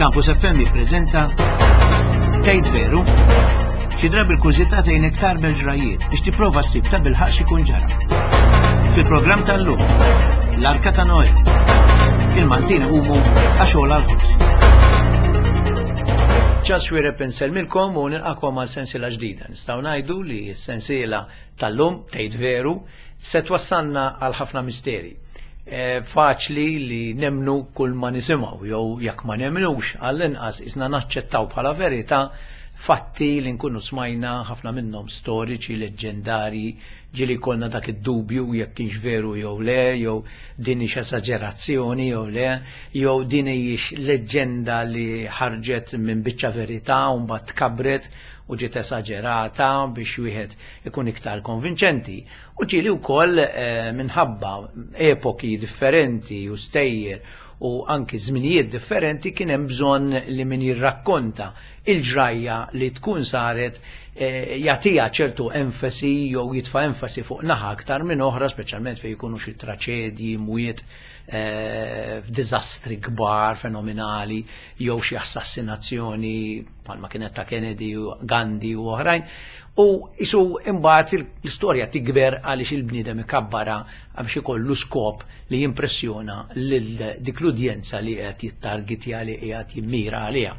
Campus FM jippreżenta Tgħid Veru? Xi drabi l-kurżità tgħinek tarbel ġrajiet biex tipprova ssib ta' bilħaq x'ikun ġara. Fil-programm tal-lum, l-Arka ta' Noè. Il-Maltin iqumu għax għola l-ħobż. Charles Xuereb insellmilkom u nilqakom għal sensiela ġdida. Nistgħu ngħidu li s-sensiela tal-lum tgħid veru se twassalna għal ħafna misteri. E, faċli li nemnu kull ma nisimgħu jew jekk ma nemnux għall-inqas isna naċċettaw bħala verità fatti li nkunu smajna ħafna minnhom storiċi, leġġendarji, ġieli jkollna dak id-dubju jekk kienx veru jew le, jew din hix esaġerazzjoni jew le, jew din hijiex leġġenda li ħarġet minn biċċa verità u mbagħad tkabret u ġiet esaġerata biex wieħed ikun iktar konvinċenti. U ġieli wkoll eh, minħabba epoki differenti u stejjer u anki żminijiet differenti kien hemm bżonn li min jirrakkonta il-ġrajja li tkun saret eh, jagħtiha ċertu enfasi jew jitfa' enfasi fuq naħa aktar minn oħra, speċjalment fejn jkunu xi traċedji, mwiet, eh, diżastri kbar, fenomenali, jew xi assassinazzjoni bħalma kienet ta' Kennedy u Gandhi u oħrajn. U isu imbagħad l-istorja tikber għaliex il-bniedem ikabbara biex ikollu skop li jimpressjona lil dik l-udjenza li qed jittargitja li qiegħed jimmira għaliha.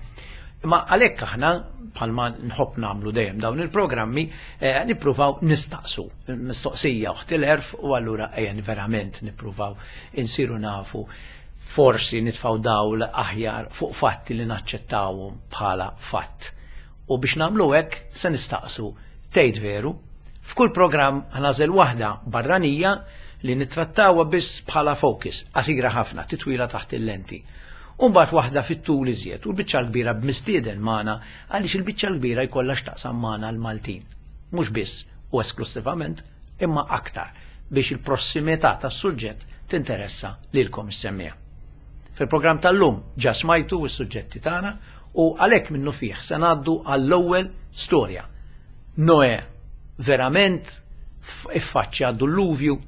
Imma għalhekk aħna bħalma nħobb nagħmlu dejjem dawn il-programmi eh, nippruvaw nistaqsu mistoqsija uħt il-erf u allura ejja verament nippruvaw insiru nafu forsi nitfgħu dawl aħjar fuq fatti li naċċettawhom bħala fatt. U biex nagħmlu hekk se nistaqsu tgħid veru? F'kull programm ħnażel waħda barranija li nittrattawha biss bħala focus, qasira ħafna, titwila taħt il-lenti. U mbagħad waħda fit-tul iżjed u l-biċċa l-kbira b'mistieden magħna għaliex il-biċċa l-kbira jkollha x'taqsam magħna l-Maltin. Mhux biss u esklussivament, imma aktar biex il-prossimità tas-suġġett tinteressa lilkom is-semmiegħa. Fil-programm tal-lum ġa smajtu s-suġġetti tagħna u għalhekk minnufih se ngħaddu għall-ewwel storja. Noè verament iffaċċja dulluvju,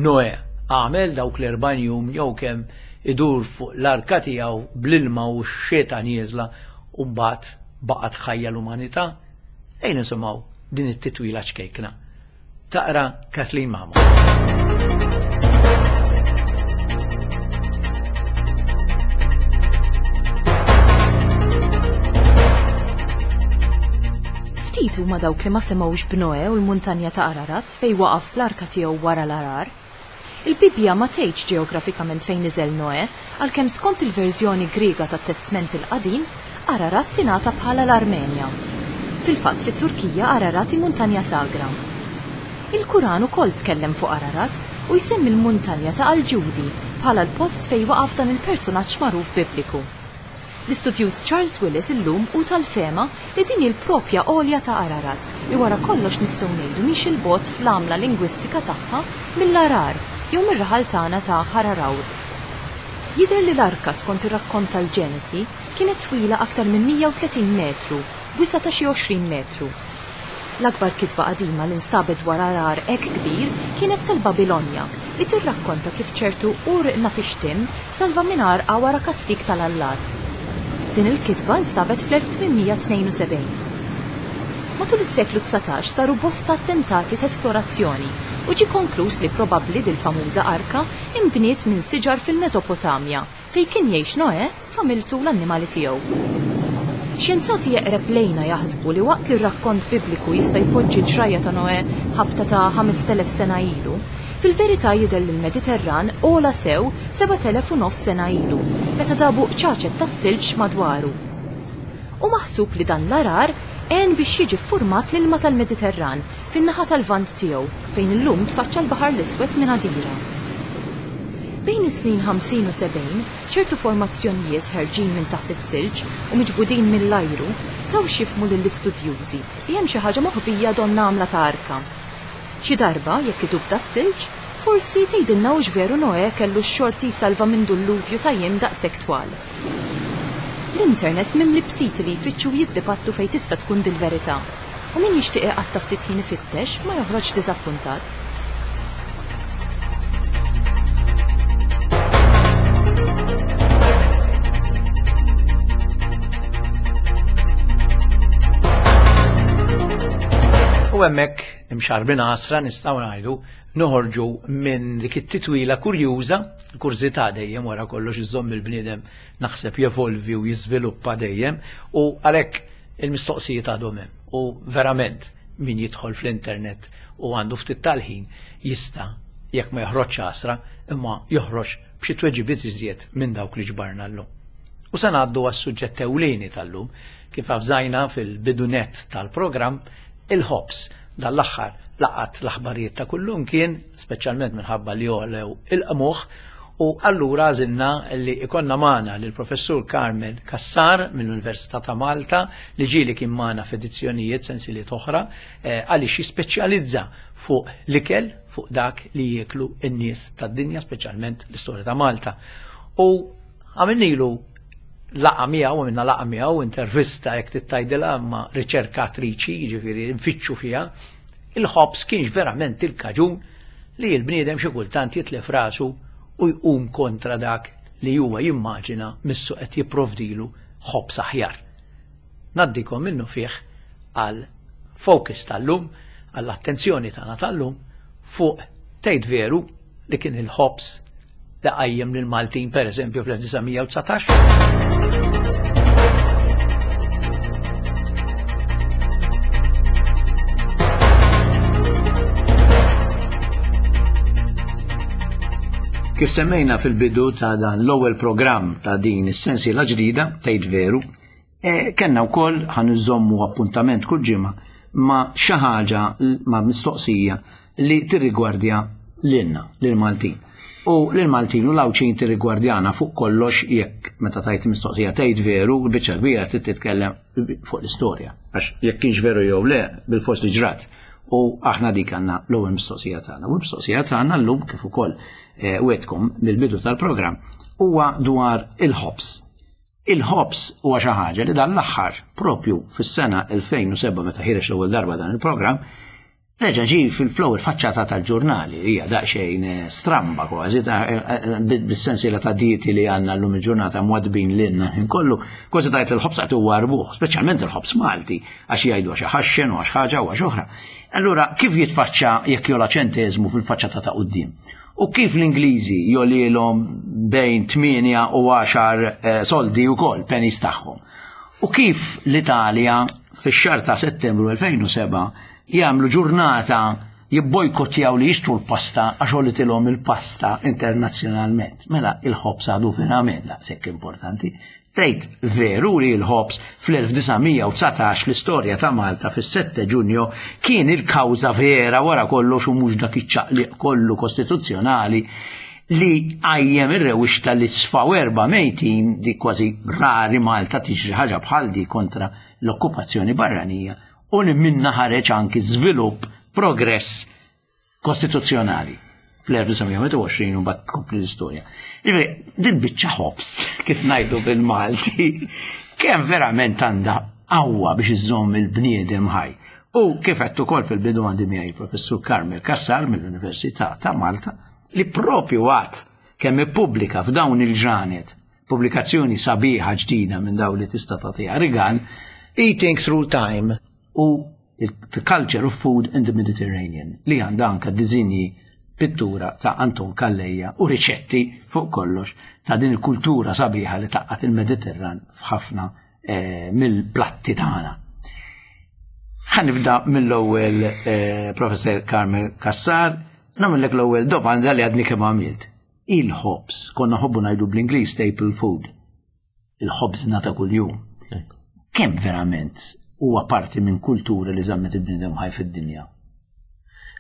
Noè għamel dawk l-40 jum jew kemm idur fuq l-arka tiegħu bl-ilma u x-xita nieżla u mbagħad baqgħet ħajja l-umanità. Ejja nisimgħu din it-titwila ċkejkna. Taqra Kathleen Mamo. Ftit huma dawk li ma semgħux b'Noe u l-muntanja ta' Ararat fejn waqaf bl-arka tiegħu wara l-għarar. Il-Bibbja ma tgħidx ġeografikament fejn niżel Noè, għalkemm skont il-verżjoni Griega tat-Testment il-Qadim, Ararat tingħata bħala l-Armenja. Fil-fatt, fit-Turkija Ararat hi muntanja sagra. Il-Kuran ukoll tkellem fuq Ararat u jsemmi l-muntanja ta' Al-Ġudi bħala l-post fejn waqaf dan il-persunaġġ magħruf Bibliku. L-istudjuż Charles Willis illum hu tal-fehma li din hi l-propja għolja ta' Ararat li wara kollox nistgħu ngħidu mhix 'il bogħod fl-għamla lingwistika tagħha mill-Arar jew mir-raħal tagħna ta' Ħararawr. Jidher li l-arka skont ir-rakkont tal-Ġenesi kienet twila aktar minn 130 metru b'wisa' ta' xi 20 metru. L-akbar kitba qadima li nstabet dwar għargħar hekk kbir kienet tal-Babilonja, li tirrakkonta kif ċertu Ur-Napishtim salva minn għarqa wara kastig tal-allat. Din il-kitba nstabet fl-1872. Matul is-seklu 19 saru bosta attentati t'esplorazzjoni u ġie konkluż li probabbli dil-famuża arka inbniet minn siġar fil-Mesopotamja fejn kien jgħix Noè familtu u l-annimali tiegħu. Xjenzati eqreb lejna jaħsbu li waqt li r-rakkont Bibliku jista' jpoġġi l-ġrajja ta' Noè ħabta ta' 5,000 sena ilu, fil-verità jidher li l-Mediterran għola sew 7,000 u nofs sena ilu, meta dabu qċaċet tas-silġ madwaru. Hu maħsub li dan l-għarar għen biex jiġi ffurmat l-ilma tal-Mediterran fin-naħa tal-Lvant tiegħu fejn illum tfaċċa l-Baħar l-Iswed minn għadira. Bejn is-snin 50 u 70, ċertu formazzjonijiet ħerġin minn taħt is-silġ u miġbudin mill-ajru taw x'jifhmu lill-istudjużi li hemm xi ħaġa moħbija donnha għamla ta' arka. Xi darba, jekk idub das-silġ, forsi tgħidilna hux veru Noè kellu x-xorti jsalva minn dulluvju ta' jiem daqshekk twal. L-internet mimli b'siti li jfittxu u jiddibattu fejn tista' tkun dil-verità. U min jixtieq iqatta' ftit ħin ifittex ma joħroġx diżappuntat. U hemmhekk imxarbin għasra nistgħu ngħidu noħorġu minn dik it-titwila kurjuża, kurżità dejjem wara kollox iżomm il-bniedem naħseb jevolvi u jiżviluppa dejjem u għalhekk il-mistoqsijiet għadhom hemm. U verament min jidħol fl-internet u għandu ftit tal-ħin jista' jekk ma joħroġx għasra imma joħroġ b'xi tweġibiet iżjed minn dawk li ġbarna llum. U se ngħaddu għas-suġġett ewlieni tal-lum, kif avżajna fil-bidu nett tal-programm, il-ħobż. Dan l-aħħar laqat l-aħbarijiet ta' kullum kien, speċjalment minħabba li għolew il-qmuħ, u allura għażilna li ikonna magħna lill-Professur Carmel Cassar mill-Università ta' Malta li ġieli kien magħna f'edizzjonijiet sensiliet oħra eh, għaliex jispeċjalizza fuq l-ikel, fuq dak li jieklu n-nies tad-dinja, speċjalment l-istorja ta' Malta. U għamilnilu laqa miegħu, għamilna laqa miegħu, intervista jekk tittajdilha ma' riċerkatriċi, jiġifieri nfittxu fiha, il-ħobż kienx verament il-kaġun li l-bniedem xi kultant jitlef rasu u jqum kontra dak li huwa jimmaġina missu qed jipprovdilu ħobż aħjar. Ngħaddikom minnu fih għal focus tal-lum, għall-attenzjoni tagħna tal-lum fuq tgħid veru li kien il-ħobż li qajjem lil Maltin per eżempju fl-1919? Kif semmejna fil-bidu ta' dan l-ewwel programm ta' din is-sensiela ġdida, tgħid veru, E, kenna wkoll ħan iżommu appuntament kull ġimgħa ma' xi ħaġa ma' mistoqsija li tirrigwardja lilna, lil-Maltin. U lil-Maltin u l-Għawdxin tirrigwardjana fuq kollox jekk meta tajt mistoqsija tgħid veru, biċċa kbira trid titkellem fuq l-istorja. Għax jekk kienx veru jew le, bil-fors li ġrat. U aħna dik għandna l-ewwel mistoqsija tagħna. U l-mistoqsija tagħna llum kif ukoll eh, wetkom mill-bidu tal-programm huwa dwar il-ħobż. Il-ħobż huwa xi ħaġa li dan l-aħħar, propju fis-sena 2007 meta ħireġ l-ewwel darba dan il-programm, reġa' ġie fil-flow il-faċċata tal-ġurnali li hija daqsxejn eh, stramba kważi eh, eh, bis-sensiela ta' dieti li għandna llum il-ġurnata mwadbin lilna ħin kollu, kważi tajt il-ħobż qed huwa rbuħ, speċjalment il-ħobż Malti għax jgħidu għax ħaxxen u għax ħaġa u għax oħra. Allura kif jitfaċċa jekk jola ċenteżmu fil-faċċata ta' quddiem? U kif l-Ingliżi jolilhom bejn 8 u 10 eh, soldi wkoll pennies tagħhom. U kif l-Italja fix-xahar ta' Settembru 2007 jagħmlu ġurnata jibbojkottjaw li jixtru l-pasta għax għolitilhom il-pasta internazzjonalment. Mela il-ħobż għadu verament daqshekk importanti. Tgħid veru li l-ħobż fl-1919 fl-istorja ta' Malta fis-7 Ġunju kien il-kawża vera wara kollox u mhux dak iċ-ċaqliq kollu kostituzzjonali li qajjem ir-rewwixta li sfaw erba' mejtin di kważi rari Malta tiġri ħaġa bħal di kontra l-okkupazzjoni barranija u li minna ħareġ anki żvilupp progress kostituzzjonali fl-1921 u bat tkompli l-istorja. Ġifieri, din biċċa ħobs, kif ngħidu bil-Malti, kemm verament għandha qawwa biex iżżomm il-bniedem ħaj. U kif qed ukoll fil-bidu għandi miegħi il-Professur Carmel Cassar mill-Università ta' Malta li propju għad kemm ippubblika f'dawn il-ġranet pubblikazzjoni sabiħa ġdida minn dawn li tista' tagħtiha rigal Eating Through Time u The Culture of Food in the Mediterranean li għandha anke diżinji pittura ta' Anton Calleja u riċetti fuq kollox ta' din il-kultura sabiħa li taqqat il-Mediterran f'ħafna eh, mill-platti tagħna. Ħa nibda mill-ewwel eh, Professor Carmel Cassar, nagħmellek l-ewwel domanda li għadni kemm għamilt. Il-ħobż, konna ħobbu ngħidu bl-Ingliż staple food. il-ħobżna ta' kuljum. Kemm verament huwa parti minn kultura li żammet il-bniedem ħaj fid-dinja?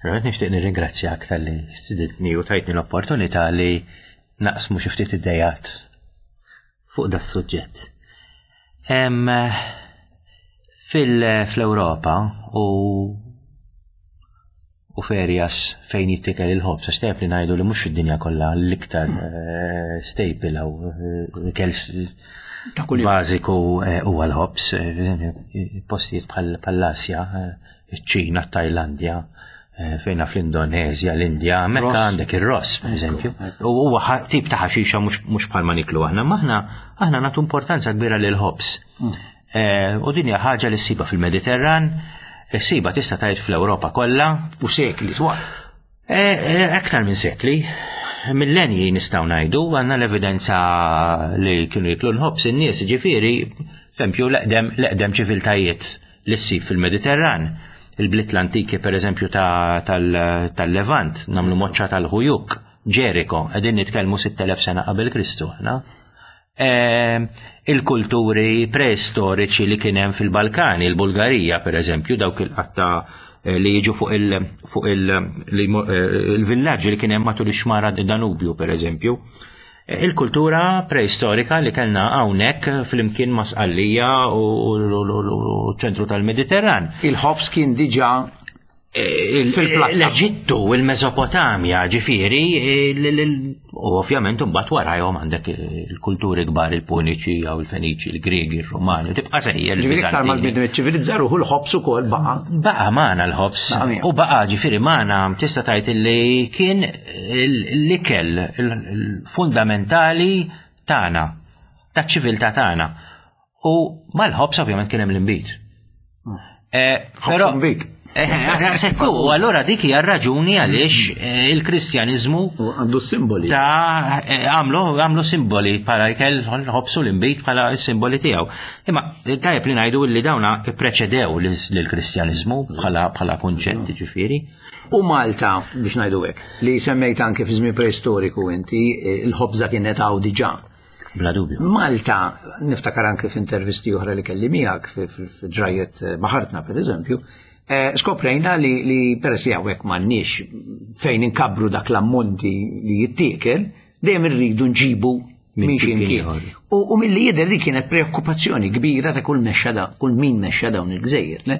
Verament nixtieq nirringrazzjak talli stiditni u tajtni l-opportunità li naqsmu xi ftit idejat fuq da suġġett. Fil-Ewropa u u f'areas fejn jittikel il-ħobż, għax tajjeb li ngħidu li mhux fid-dinja kollha l-iktar eh, staple jew eh, ikel bażiku eh, huwa l-ħobż, postijiet bħall-Asja, iċ-Ċina, t-Tajlandja, fejna fl-Indonezja, l-Indja, mekka għandek ir-ross, per eżempju. U huwa tip ta' ħaxixa mhux bħal ma niklu aħna, ma aħna aħna nagħtu importanza kbira lil ħobż. Mm. U din hija ħaġa li ssiba fil-Mediterran. Issibha tista' tgħid fl-Ewropa kollha. U sekli twal. E, e, aktar minn sekli. Millenji nistgħu ngħidu għandna l-evidenza li kienu jiklu l-ħobs in-nies, ġifieri, esempju l-eqdem l-eqdem ċiviltajiet li ssib fil-Mediterran. Il-bliet l-antiki pereżempju tal-Levant, nagħmlu moċċa tal-Ħujuk, Ġeriko, qegħdin nitkellmu 6000 sena qabel Kristu aħna. Ehm, il-kulturi preistoriċi li kien hemm fil-Balkani, il-Bulgarija pereżempju, dawk il-qatta eh, li jiġu fuq il-villaġġi eh, li kien hemm matul ix-xmara Danubju pereżempju. Eh, il-kultura preistorika li kellna hawnhekk flimkien ma' Sqallija u ċentru tal-Mediterran. Il-ħobs kien diġà L-Eġittu, il-Mesopotamja, ġifiri, u ovvjament mbagħad warajhom għandek il-kulturi kbar il-Puniċi jew il-Feniċi, il-Griegi, il-Rumani, tibqa' sejjer. Ġifieri iktar mal-bniedem iċċivilizza ruħu l-ħobs ukoll baqa'. Baqa' magħna l-ħobs. U baqa' ġifieri magħna tista' tgħid li kien l-ikel fundamentali tagħna, taċ-ċiviltà tagħna. U mal-ħobs ovvjament kien hemm l-inbid. Eh, però eh, eh, u allura dik hija raġuni għaliex il-Kristjaniżmu għandu simboli. Ta' għamlu għamlu simboli bħala jkel ħobsu l-inbid bħala simboli tiegħu. Imma tajjeb li ngħidu li dawna ppreċedew lill-Kristjaniżmu bħala bħala kunċett ġifieri. U Malta, biex ngħidu hekk, li semmejt anke fi żmien preistoriku inti, il-ħobża kienet hawn diġà. Bla dubju. Malta, niftakar anke f'intervisti oħra li kelli miegħek f'ġrajiet eh, baħartna pereżempju, eh, skoprejna li, li peress li hawnhekk m'għandniex fejn inkabbru dak l-ammonti li jittiekel, dejjem irridu nġibu minn xi mkien. U, u milli jidher li kienet preokkupazzjoni kbira ta' kull mexxa da, kull min mexxa dawn il-gżejjer, le?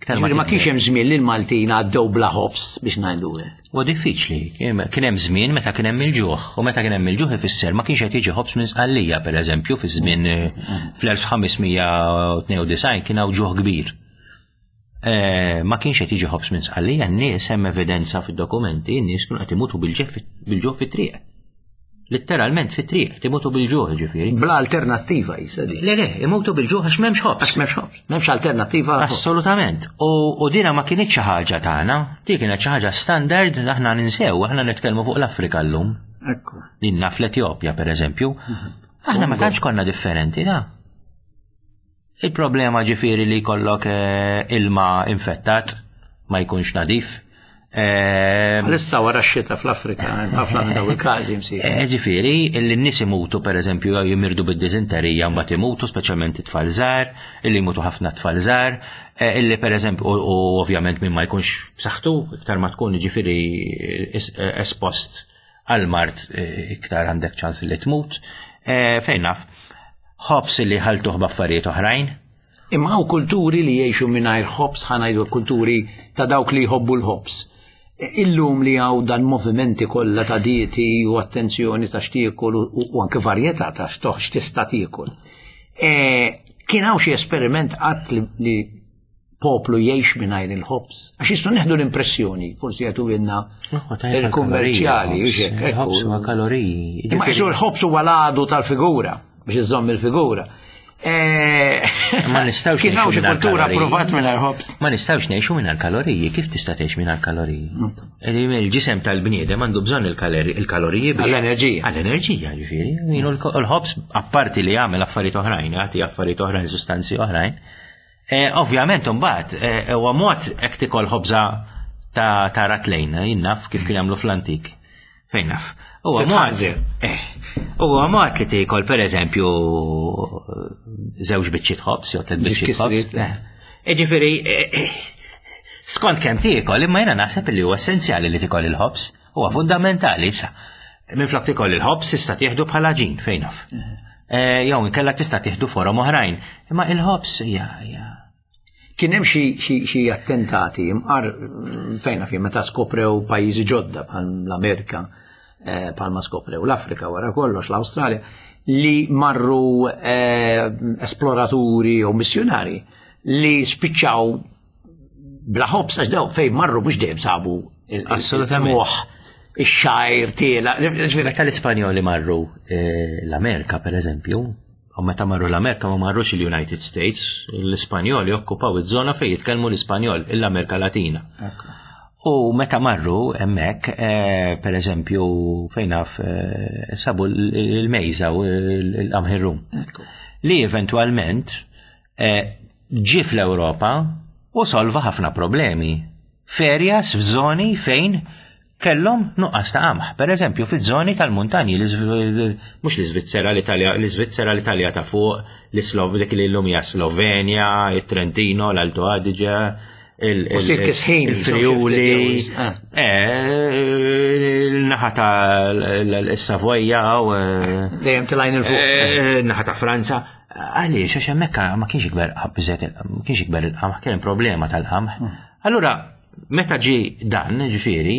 Ġifieri ma kienx hemm żmien li l-Maltin għaddew bla ħobż biex ngħidu hekk. Huwa diffiċli. Kien hemm żmien meta kien hemm il-ġuħ, u meta kien hemm il-ġuħ ifisser ma kienx qed jiġi ħobż minn Sqallija, pereżempju, fi żmien eh, fl-1592 kien hawn ġuħ kbir. Eh, ma kienx qed jiġi ħobż minn Sqallija, n-nies hemm evidenza fid-dokumenti, n-nies kienu qed imutu bil-ġuħ fit-triq. Litteralment fit-triq, timutu bil-ġuħ ġifieri. Bla alternattiva jisa di. Le, le, imutu bil-ġuħ għax m'hemmx ħobż. Għax m'hemmx ħobż. M'hemmx alternattiva. Assolutament. U dina ma kienx xi ħaġa tagħna, di kienet xi ħaġa standard aħna ninsew, aħna nitkellmu fuq l-Afrika llum. Ekku. Dinna fl-Etjopja pereżempju. Mhm. Aħna ma tantx konna differenti, da. Il-problema ġifieri li jkollok eh, ilma infettat ma jkunx nadif. Eh, Għalissa wara x-xita fl-Afrika, ħafna minn daw il-każi msir. Eh, ġifieri, li n-nies imutu pereżempju jew jimirdu bid-diżenterija mbagħad imutu, speċjalment it-tfal żgħar, illi jmutu ħafna tfal żgħar, illi pereżempju u ovvjament min ma jkunx b'saħħtu, iktar ma tkun ġifieri espost għal mard iktar għandek ċans li tmut. Fejn naf, ħobs li ħaltuh b'affarijiet oħrajn. Imma hawn kulturi li jgħixu mingħajr ħobs ħa ngħidu kulturi ta' dawk li jħobbu l-ħobs. Illum li hawn dan movimenti kollha ta' dieti u attenzjoni ta' x'tiekol u anke varjetà ta' x'tista' tiekol. E, kien hawn xi esperiment qatt li poplu jgħix mingħajr il-ħobż. Għax jistgħu neħdu l-impressjoni, forsi jagħtu lilna il-kummerċjali, Il-ħobż huwa kaloriji. Imma jisu l-ħobż huwa l-għadu tal-figura biex iżomm il-figura. Eh, ma nistgħux Kien hawn xi kultura approvat mingħajr ħobż. Ma nistgħux ngħixu mingħajr kaloriji, kif tista' tgħix mingħajr kaloriji? Mm. Il-ġisem tal-bniedem għandu bżonn il-kaloriji għall-enerġija. Għall-enerġija, ġifieri. L-ħobż apparti li jagħmel affarijiet oħrajn, jagħti affarijiet oħrajn, sustanzi oħrajn, Eh, ovvjament, mbagħad eh, huwa mod hekk tikol ħobża ta' ta' ratlejn, eh, jinnaf kif kien jagħmlu fl-antik. Fejn naf. Huwa mod. Huwa mod li tikol pereżempju żewġ biċċiet ħobż jew tliet biċċiet ħobż. Ġifieri, skont kemm tiekol, imma jiena naħseb li huwa essenzjali li tikol il-ħobż, huwa fundamentali sa. Minflok tikol il-ħobż tista' tieħdu bħala ġin fejn naf. Eh, jew inkella tista' tieħdu forom oħrajn. Imma il-ħobż hija Kien hemm xi attentati imqar mm, fejn fi meta skoprew pajjiżi ġodda bħal l-Amerika, eh, bħalma skoprew l-Afrika wara kollox l-Awstralja, li marru eh, esploraturi u missjonari li spiċċaw bla ħobż għax daw fejn marru mhux dejjem sabu il-moħħ ix-xajr tiela. Meta l-Ispanjoli marru eh, l-Amerika pereżempju. U meta marru l-Amerika ma marrux il-United States, l-Ispanjoli okkupaw iż-żona fejn jitkellmu l-Ispanjol, l-Amerika Latina. U meta marru hemmhekk, eh, per eżempju, fejn naf eh, sabu l-mejża u l-qamħirrum. Li eventwalment eh, ġie fl-Ewropa u solva ħafna problemi. Ferjas f'żoni fejn kellhom nuqqas ta' qamħ. Per eżempju, fiż-żoni tal-muntanji, mhux l-Iżvizzera, l-Italja, l-Iżvizzera, l-Italja ta' fuq, l-Islov, dik li llum hija Slovenja, it-Trentino, l-Alto Adige, il-Friuli, eh. eh, naħa ta' l-Savoja, eh, dejjem tilajn il-fuq. Naħa ta' Franza. Għaliex, għax hemmhekk ma kienx ikber ma kienx ikber il-qamħ, kien problema tal-qamħ. Hmm. Allura, Meta ġie dan, ġifieri,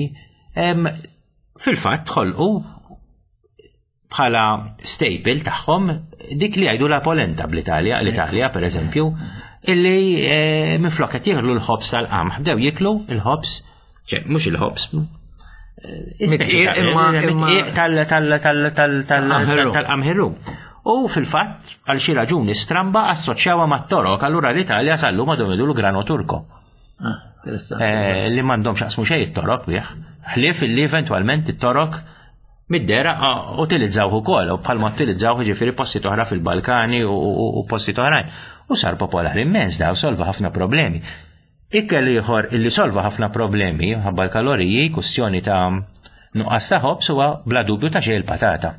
fil-fatt ħolqu bħala staple tagħhom dik li jgħidu la polenta bl-Italja, l-Italja per eżempju, illi eh, minflok qed jieħlu l-ħobs tal-qamħ, bdew jiklu l-ħobs, ċe, mhux il-ħobs, tal-qamħirru. U fil-fatt, għal xi raġuni stramba assoċjawha mat-torok, allura l-Italja sal-lum għadhom jgħidu l-grano turko. Ah, eh, li m'għandhomx jaqsmu xejn it-torok bih. Ħlief li eventwalment it-torok mid-dera ah, utilizzawh ukoll u bħalma utilizzawh ġifieri posti oħra fil-Balkani u posti oħrajn. U sar popolari immens daw solva ħafna problemi. Ikel ieħor illi solva ħafna problemi ħabba l-kaloriji, kustjoni ta' nuqqas ta' ħobż huwa bla dubju ta' xejn il-patata.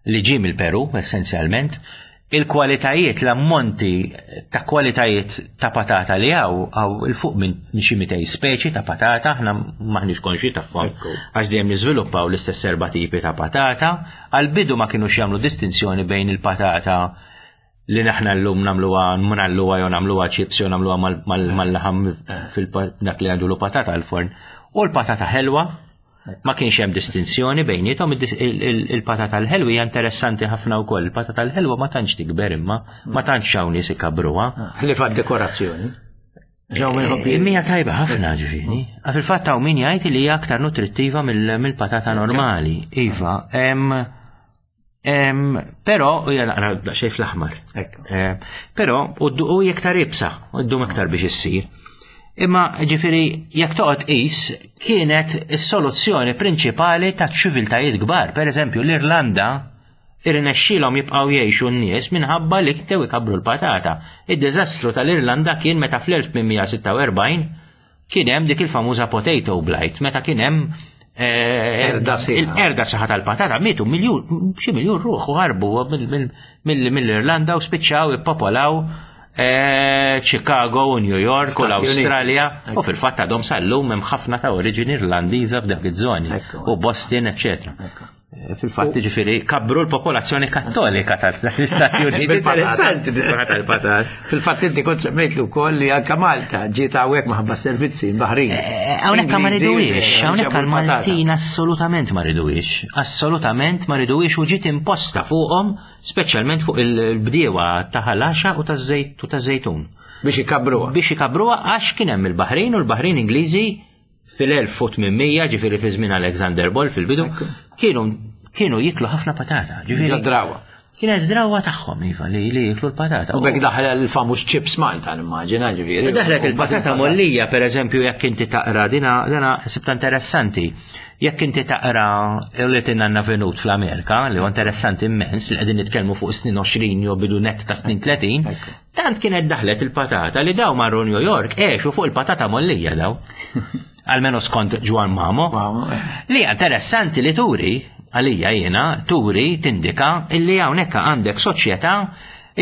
li ġie mill-Peru essenzjalment, il-kwalitajiet, l-ammonti ta' kwalitajiet ta' patata li hawn hawn 'il fuq minn xi 200 speċi ta' patata, aħna m'aħniex konxji tagħhom għax dejjem niżviluppaw l-istess erba' tipi ta' patata. Għall-bidu ma kinux jagħmlu distinzjoni bejn il-patata li naħna llum nagħmluha nagħlluha jew nagħmluha chips jew nagħmluha mal-laħam fil-dak li għandu patata għall-forn u l-patata ħelwa Ma kienx hemm distinzjoni bejniethom, il-patata l-ħelwa hija interessanti ħafna wkoll. Il-patata l-ħelwa ma tantx tikber imma, ma tantx hawn nies ikabruha. Ħlief għad-dekorazzjoni. Eh, Mija tajba ħafna ġifieri. Ah, fil-fatt hawn min jgħid li hija aktar nutrittiva mill-patata normali. Iva, Però, u hija naqra daqsxejn fl-aħmar. Però, u hija iktar ibsa, u ddum iktar biex issir. Imma ġifieri jekk toqgħod qis kienet is-soluzzjoni prinċipali ta' ċiviltajiet kbar. Per eżempju, l-Irlanda irnexxielhom jibqgħu jgħixu n-nies minħabba li bdew ikabbru l-patata. Id-diżastru tal-Irlanda kien meta fl-1846 Kien hemm dik il-famuża potato blight, meta kien hemm eh, il-erda saħħa tal-patata, mietu miljun, xi miljun ruħ u ħarbu mill-Irlanda u spiċċaw ippopolaw eh, Chicago u New York u l-Awstralja u fil-fatt għadhom sal-lum hemm ħafna ta' oriġini Irlandiża f'dak iż-żoni u Boston, eċċetera. Eh, fil-fatt ġifiri, kabru l-popolazzjoni kattolika tal-Istati Uniti. Interessanti bis-saħħa tal-patat. Fil-fatt inti kont semmejt li wkoll li anka Malta ġiet hawnhekk maħabba servizzi baħrin. Eh, hawnhekk ma riduwiex, hawnhekk għal-Maltin assolutament ma riduwiex, assolutament ma riduwiex u ġiet imposta fuqhom, speċjalment fuq il-bdiewa ta' ħalaxa u taż-żejt u taż-żejtun. Biex ikabruha. Biex ikabruha għax kien hemm il-Baħrin u l-Baħrin Ingliżi Fil-1800, ġifieri fi żmien Alexander Ball fil-bidu, kienu kienu jiklu ħafna patata. Ġifieri drawa. Kienet drawa tagħhom iva li li jiklu l-patata. U bekk daħlet il-famuż chips Malta nimmaġina ġifieri. Daħlet il-patata mollija pereżempju jekk inti taqra dina dina sibta interessanti. Jekk inti taqra li tinna venut fl-Amerika li huwa interessanti immens li qegħdin nitkellmu fuq snin 20 jew bidu net ta' snin 30, Tant kienet daħlet il-patata li daw marru New York għexu fuq il-patata mollija daw. Almenu skont Ġwan Mamo. Eh. Li interessanti li turi, għalija jiena, turi tindika illi hawnhekk għandek soċjetà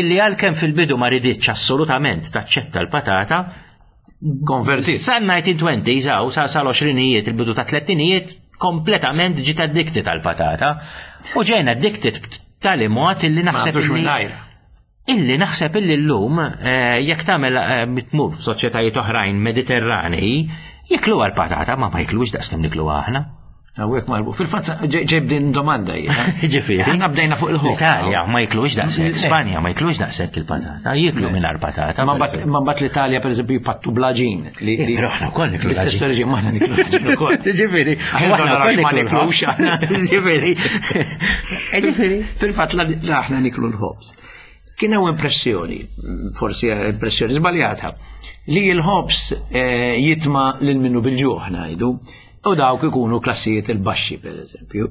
illi għalkemm fil-bidu ma riditx assolutament taċċetta l-patata, Konvertit. Sa 1920s għaw, sa sal-20ijiet, il-bidu ta' tlettinijiet, kompletament ġiet addicted għal-patata. U ġejna addicted b'tali mod illi naħseb. Illi naħseb illi llum eh, jekk tagħmel eh, tmur f'soċjetajiet oħrajn Mediterranei, jiklu għal-patata ma ma jiklux daqs kemm niklu aħna. Hawnhekk marbu. Fil-fatt ġejb din domanda hija. Ġifieri. Aħna bdejna fuq il-ħobż. L-Italja ma jiklux daqshekk, Spanja ma jiklux daqshekk il-patata, jiklu mingħajr patata. Ma mbagħad l-Italja pereżempju jpattu blaġin. Però aħna wkoll niklu. L-istess reġim aħna niklu blaġin ukoll. Ġifieri, aħna wkoll ma niklux. Ġifieri. Ġifieri. Fil-fatt aħna niklu l-ħobż. Kien hawn impressjoni, forsi impressjoni żbaljata, li l-ħobż eh, jitma lil minnu bil-ġuħ ngħidu. U dawk ikunu klassijiet il-baxxi, per eżempju,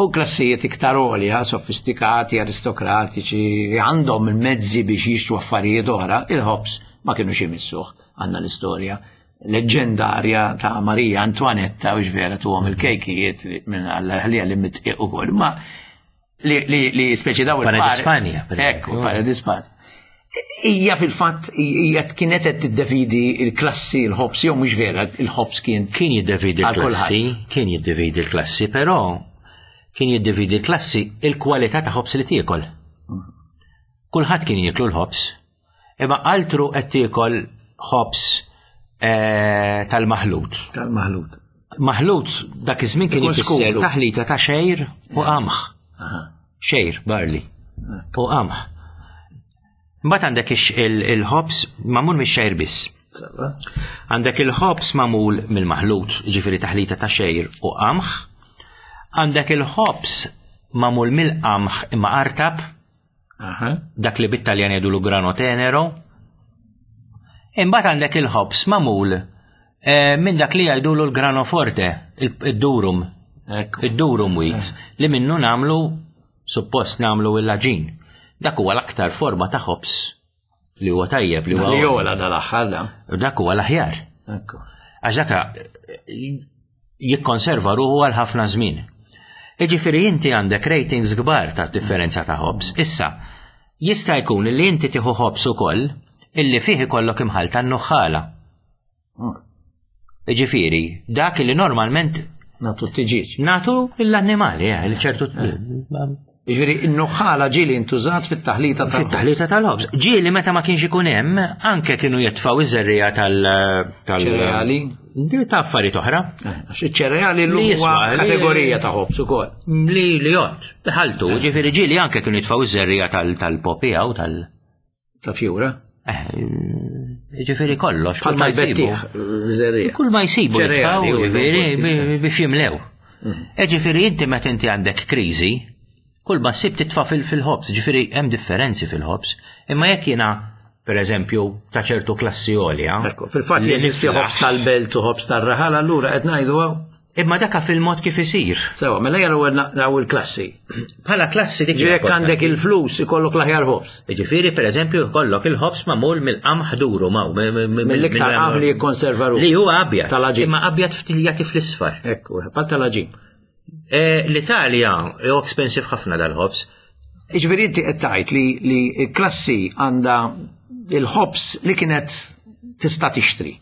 u klassijiet iktar għolja, sofistikati, aristokratiċi, li għandhom il-mezzi biex jixtru affarijiet oħra, il-ħobż ma kienu imissuh. Għandna l-istorja leġġendarja ta' Marija Antoinetta u vera tuhom il-kejkijiet minn għall-ħlija li mitqiq ukoll. Ma li li li speċi daw il Pare Spanja. Ekku, pare di Spanja. Hija fil-fatt hija kienet qed tiddevidi l-klassi l-ħobs jew mhux vera il-ħobs kien. Kien jiddevidi l-klassi, kien jiddevidi l-klassi, però kien jiddevidi l-klassi il-kwalità ta' ħobs li tiekol. Kulħadd kien jieklu l-ħobs, imma altru qed tiekol ħobs eh, tal-maħlut. Tal-maħlut. Maħlut dak iż-żmien kien ifisser taħlita ta' xejr u qamħ. Xejr, barley. U qamħ. Mbagħad għandek il-ħobs magħmul mix-xejr biss. Għandek il-ħobs magħmul mill-maħlut, ġifieri taħlita ta' xejr u qamħ. Għandek il-ħobs magħmul mill-qamħ imma artab. Dak li bit-Taljan jgħidulu grano tenero. Imbagħad għandek il-ħobs magħmul eh, minn dak li jgħidulu l-grano forte, id-durum. Id-durum wheat, eh. li minnu nagħmlu suppost nagħmlu il-laġin. Dak huwa l-aktar forma ta' ħobs li huwa tajjeb li huwa. Li jola dal-aħħar da. Dak huwa l-aħjar. Għax dak eh, jikkonserva ruħu għal ħafna żmien. Jiġifieri inti għandek ratings kbar ta' differenza ta' ħobż. Issa, jista' jkun li inti tieħu ħobż ukoll illi fih ikollok imħallta n-nuħħala. Jiġifieri, dak li normalment Natu t-tiġiġ. Natu l-annimali, eh, li ċertu. Eh. Jiġifieri n-nuħħala ġieli ntużat fit-taħlita tal Fit-taħlita tal-ħobż. Ġieli meta ma kienx ikun hemm, anke kienu jitfgħu iż-żerriegħa tal- ċereali. Ta' affarijiet oħra. Eh, għax iċ-ċereali l huwa kategorija ta' ħobż ukoll. Li li jgħod. Ħaltu, eh. ġifieri ġieli anke kienu jitfgħu iż-żerriegħa tal-popija u tal-. Ta' fjura? Eh, ġifieri kollox. Kull ma jsibu. Kull ma jsibu jitfgħu, ġifieri biex jimlew. Mm. Eh, ġifieri inti meta inti għandek kriżi, kull ma ssib titfa' fil-ħobż, ġifieri hemm differenzi fil-ħobż, imma jekk jiena per eżempju, ta' ċertu klassi għolja. Fil-fatt li jeżisti ħobż tal-belt u ħobż tar-raħal, allura qed ngħidu Imma daka fil-mod kif isir. Sewa, mela jara naraw il-klassi. Bħala klassi dik. Ġifieri għandek il-flus ikollok l-aħjar ħobż. Ġifieri pereżempju jkollok il-ħobż magħmul mill-qamħ duru maw. Mill-iktar qamħ li jikkonserva ruħu. Li huwa abjad. Tal-aġin. Imma abjad ftiljati fl-isfar. Ekku, bħal tal-aġin. E, L-Italja hu expensive ħafna dal-ħobż. Ġifieri inti qed tgħid li l-klassi għandha il-ħobż li kienet tista' tixtri.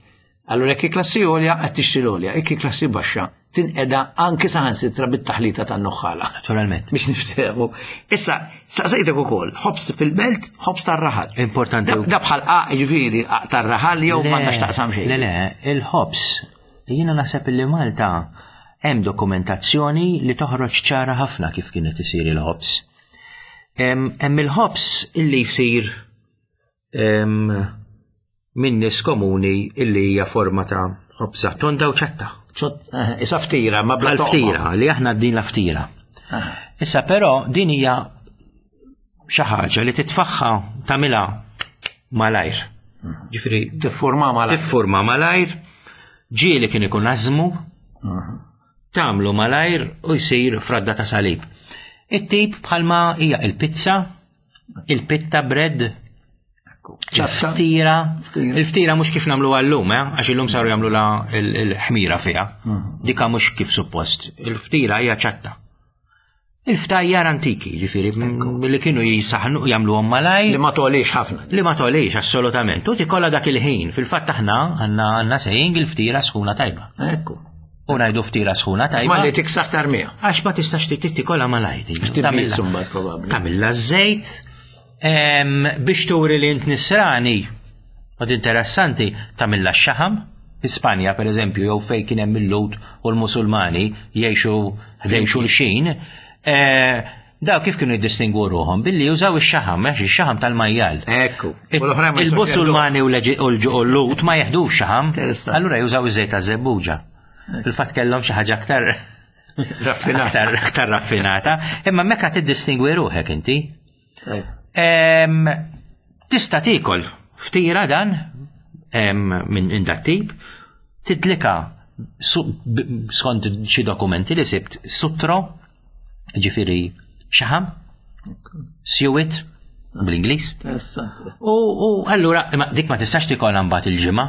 Allura jekk klassi għolja qed tixtri l-għolja, jekk klassi baxxa tinqeda anki saħansitra bit-taħlita tan-nuħħala. Naturalment. Biex niftehmu. Issa, saqsejtek ukoll, ħobs fil-belt, ħobs tar-raħal. Importanti. Da bħal qaq jiġifieri tar-raħal jew m'għandax taqsam xejn. Le, le, il-ħobs, jiena naħseb li Malta hemm dokumentazzjoni li toħroġ ċara ħafna kif kienet isir il-ħobs. Hemm il-ħobs illi jsir minn nies komuni illi hija forma ta' ħobża tonda u ċatta. Eh, isa ftira, ma bla ftira, li aħna din la ftira. Eh. Issa però din hija xi ħaġa li titfaħħa tagħmilha malajr. Hmm. Ġifieri tiffurma malajr. Tiffurma malajr, ġieli kien ikun ażmu, hmm. tagħmlu malajr u jsir fradda ta' salib. It-tip bħalma hija il-pizza, il-pitta bread, il-ftira, il-ftira mhux kif nagħmlu għallum, eh? għax illum saru jagħmlu la l-ħmira fiha. Mhm. Dika mhux kif suppost. Il-ftira hija ċatta. Il-ftajjar antiki, ġifieri, li kienu jisaħnu jagħmluhom malaj. Li ma tolix ħafna. Li ma tolix, assolutament. U tikolla dak il-ħin. Fil-fatt aħna għandna għandna sejing il-ftira sħuna tajba. Ekku. U ngħidu ftira sħuna tajba. Ma li tiksaħ tarmija. Għax ma tistax tikolla malajt. Tamilla żejt biex turi li int nisrani. Għad interessanti, tamilla x-xaħam. fi Spanja per eżempju jew fejn kien hemm il-Lut u l-Musulmani jgħixu ħdejn xulxin, eh, daw kif kienu jiddistingwu ruħhom billi jużaw ix-xaħam, għax ix-xaħam tal-majjal. Ekku. U l-oħrajn ma jistgħux Il-Musulmani u l-Eġi- u l-Lut ma jeħdux xaħam, Interessanti. allura jużaw iż-żejt taż-żebbuġa. Fil-fatt kellhom xi ħaġa aktar Raffinata. Aktar, aktar raffinata. Imma mekka tiddistingwi ruħek inti. Tajb. Em, Tista' tiekol ftira dan em, minn minn dat tip, tidlika su- b- skont xi dokumenti li sibt sutro, ġifieri xaħam, suet bl-Ingliż. Interessanti. U, u allura, imma dik ma tistax tikolha mbagħad il-ġimgħa.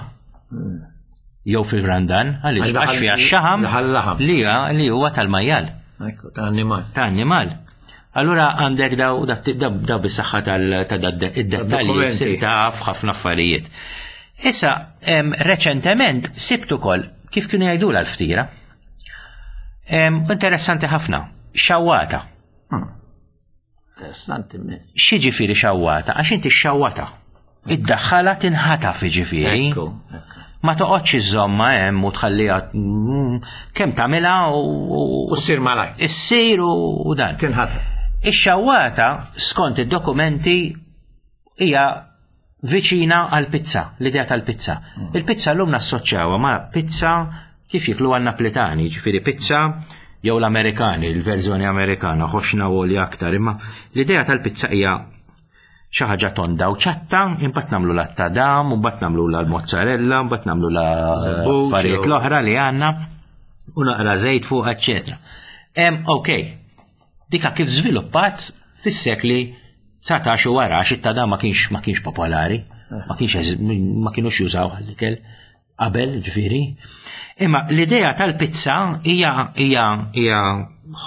Jew fil-Randan, għaliex Għax daħal- għax fiha x-xaħam daħal laħam. li huwa- li huwa tal-majjal Ekku, ta' annimal. ta' annimal. Allura għandek daw daw daw bis-saħħa tal ta' id-dettalji Dokumenti. sir taf ħafna affarijiet. Issa, em, reċentement sibt ukoll kif kienu jgħidula l-ftira. Em, Interessanti ħafna, xawata. Interessanti immens. X'jiġifieri xawata? Għax inti xawata. Id-daħħala tinħataf jiġifieri. Ekku, ekku. Ma toqgħodx iżomma hemm u tħalliha mm, kemm tagħmilha u U ssir malaj. issir u u dan. Tinħataf. Ix-xawata skont id-dokumenti hija viċina għal pizza, l-idea tal-pizza. Il-pizza llum nassoċjawha ma' pizza kif jiklu għan-Naplitani, ġifieri pizza jew l-Amerikani, il-verżjoni Amerikana, ħoxna u li aktar, imma l-idea tal-pizza hija xi ħaġa tonda u ċatta, imbagħad nagħmlu la tadam, imbagħad nagħmlu la l-mozzarella, imbagħad nagħmlu la Żebbuġ, affarijiet jew- l-oħra li għandna u naqra żejt fuq, eċċetera. Em, ok, dika kif żviluppat fis-sekli 19 u wara għax it-tadam ma kienx ma kienx popolari, ma kienx eż- ma kienux jużaw għall-ikel qabel, ġifieri. Imma l-idea tal-pizza hija hija hija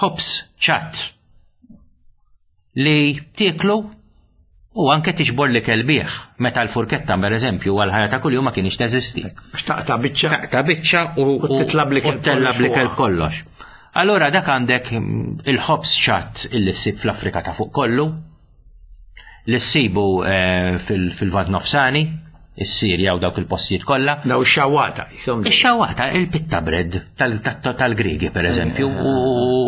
ħobż ċatt li tieklu u anke tiġbor li kelbieħ meta l-furketta per eżempju għal ħajja ta' kuljum ma kienx teżisti. Għax taqta' biċċa. Ta' biċċa u U titla' bl-ikel u tella kollox bl-ikel fuqha. kollox. Allora dak għandek il-ħobż ċatt illi ssib fl-Afrika ta' fuq kollu, li ssibu eh, fil- fil-Vant Nofsani, is-Sirja u dawk il-postijiet kollha. Daw xawata, jisom. Ix-xawata, il-pitta bread tal- tal- tal-Grigi per eżempju u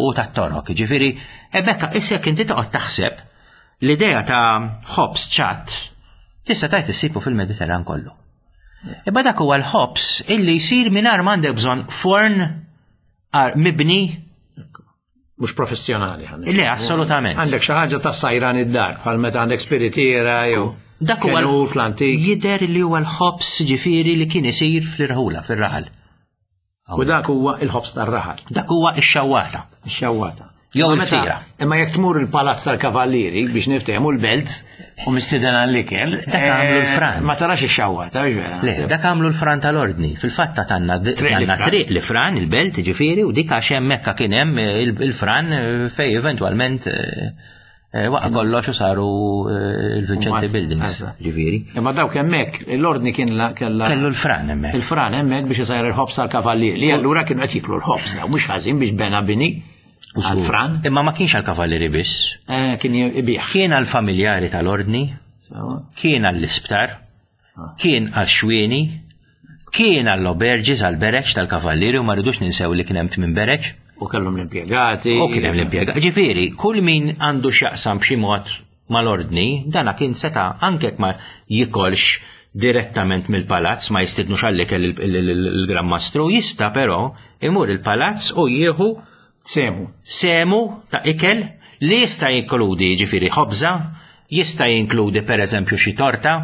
u tat-Torok. Ġifieri, ebekka issa jekk inti toqgħod taħseb l-idea ta' ħobż ċatt tista' tajt issibu fil-Mediterran kollu. Imma dak huwa l-ħobż illi jsir mingħajr m'għandek bżonn forn ar mibni Mhux professjonali. ħan Le, assolutament. Għandek xi ħaġa ta' sajran id-dar, bħal meta għandek spiritiera jew Dak huwa kenur fl-antik. Jidher li huwa l-ħobż ġifieri li kien isir fl-irħula, fir-raħal. U dak huwa il-ħobż tar-raħal, Dak huwa x-xawata. ix-xawata. Jew Imma meta- il-ftira. Imma jekk tmur il-Palazz tal-Kavallieri biex niftehmu l-belt u mistieden għall-ikel, Dak għamlu l-fran. Ma tarax ix-xawata, mhux vera. Le, dak għamlu l-fran tal-ordni. Fil-fatt ta' tanna Triq li tanna fran. triq li fran il-belt ġifieri u dik għax hemmhekk kien hemm il- il-fran eh, fej eventwalment eh, eh, waqa' kollox u saru eh, il-Vincenti Mbagħad, Buildings eżatt. ġifieri. Imma dawk hemmhekk l-ordni kien la kella Kellu l-fran hemmhekk. il-fran hemmhekk biex isajr il-ħobż għall-kavallieri. Li allura kienu qed jiklu l-ħobż daw mhux ħażin biex bena bini għall-fran Imma ma kienx għal-kavallieri biss. eh, kien ibih. Kien għal-familjari tal-ordni, Sewa. kien għall-isptar, kien għal-xwieni, kien għall-oberġis, għal-bereċ tal-kavallieri u ma rridux ninsew li kien hemm tmien bereċ. U kellhom l-impjegati. U kien hemm l-impjega. Ġifieri, kull min għandu x'jaqsam b'xi mod mal-ordni, dana kien seta' anke jekk ma jikolx direttament mill-palazz, ma jistidnux għall-ikel il-Gran Mastru, jista' però imur il-palazz u jieħu Semu. semu ta' ikel li jista' jinkludi ġifieri ħobża, jista' jinkludi pereżempju xi torta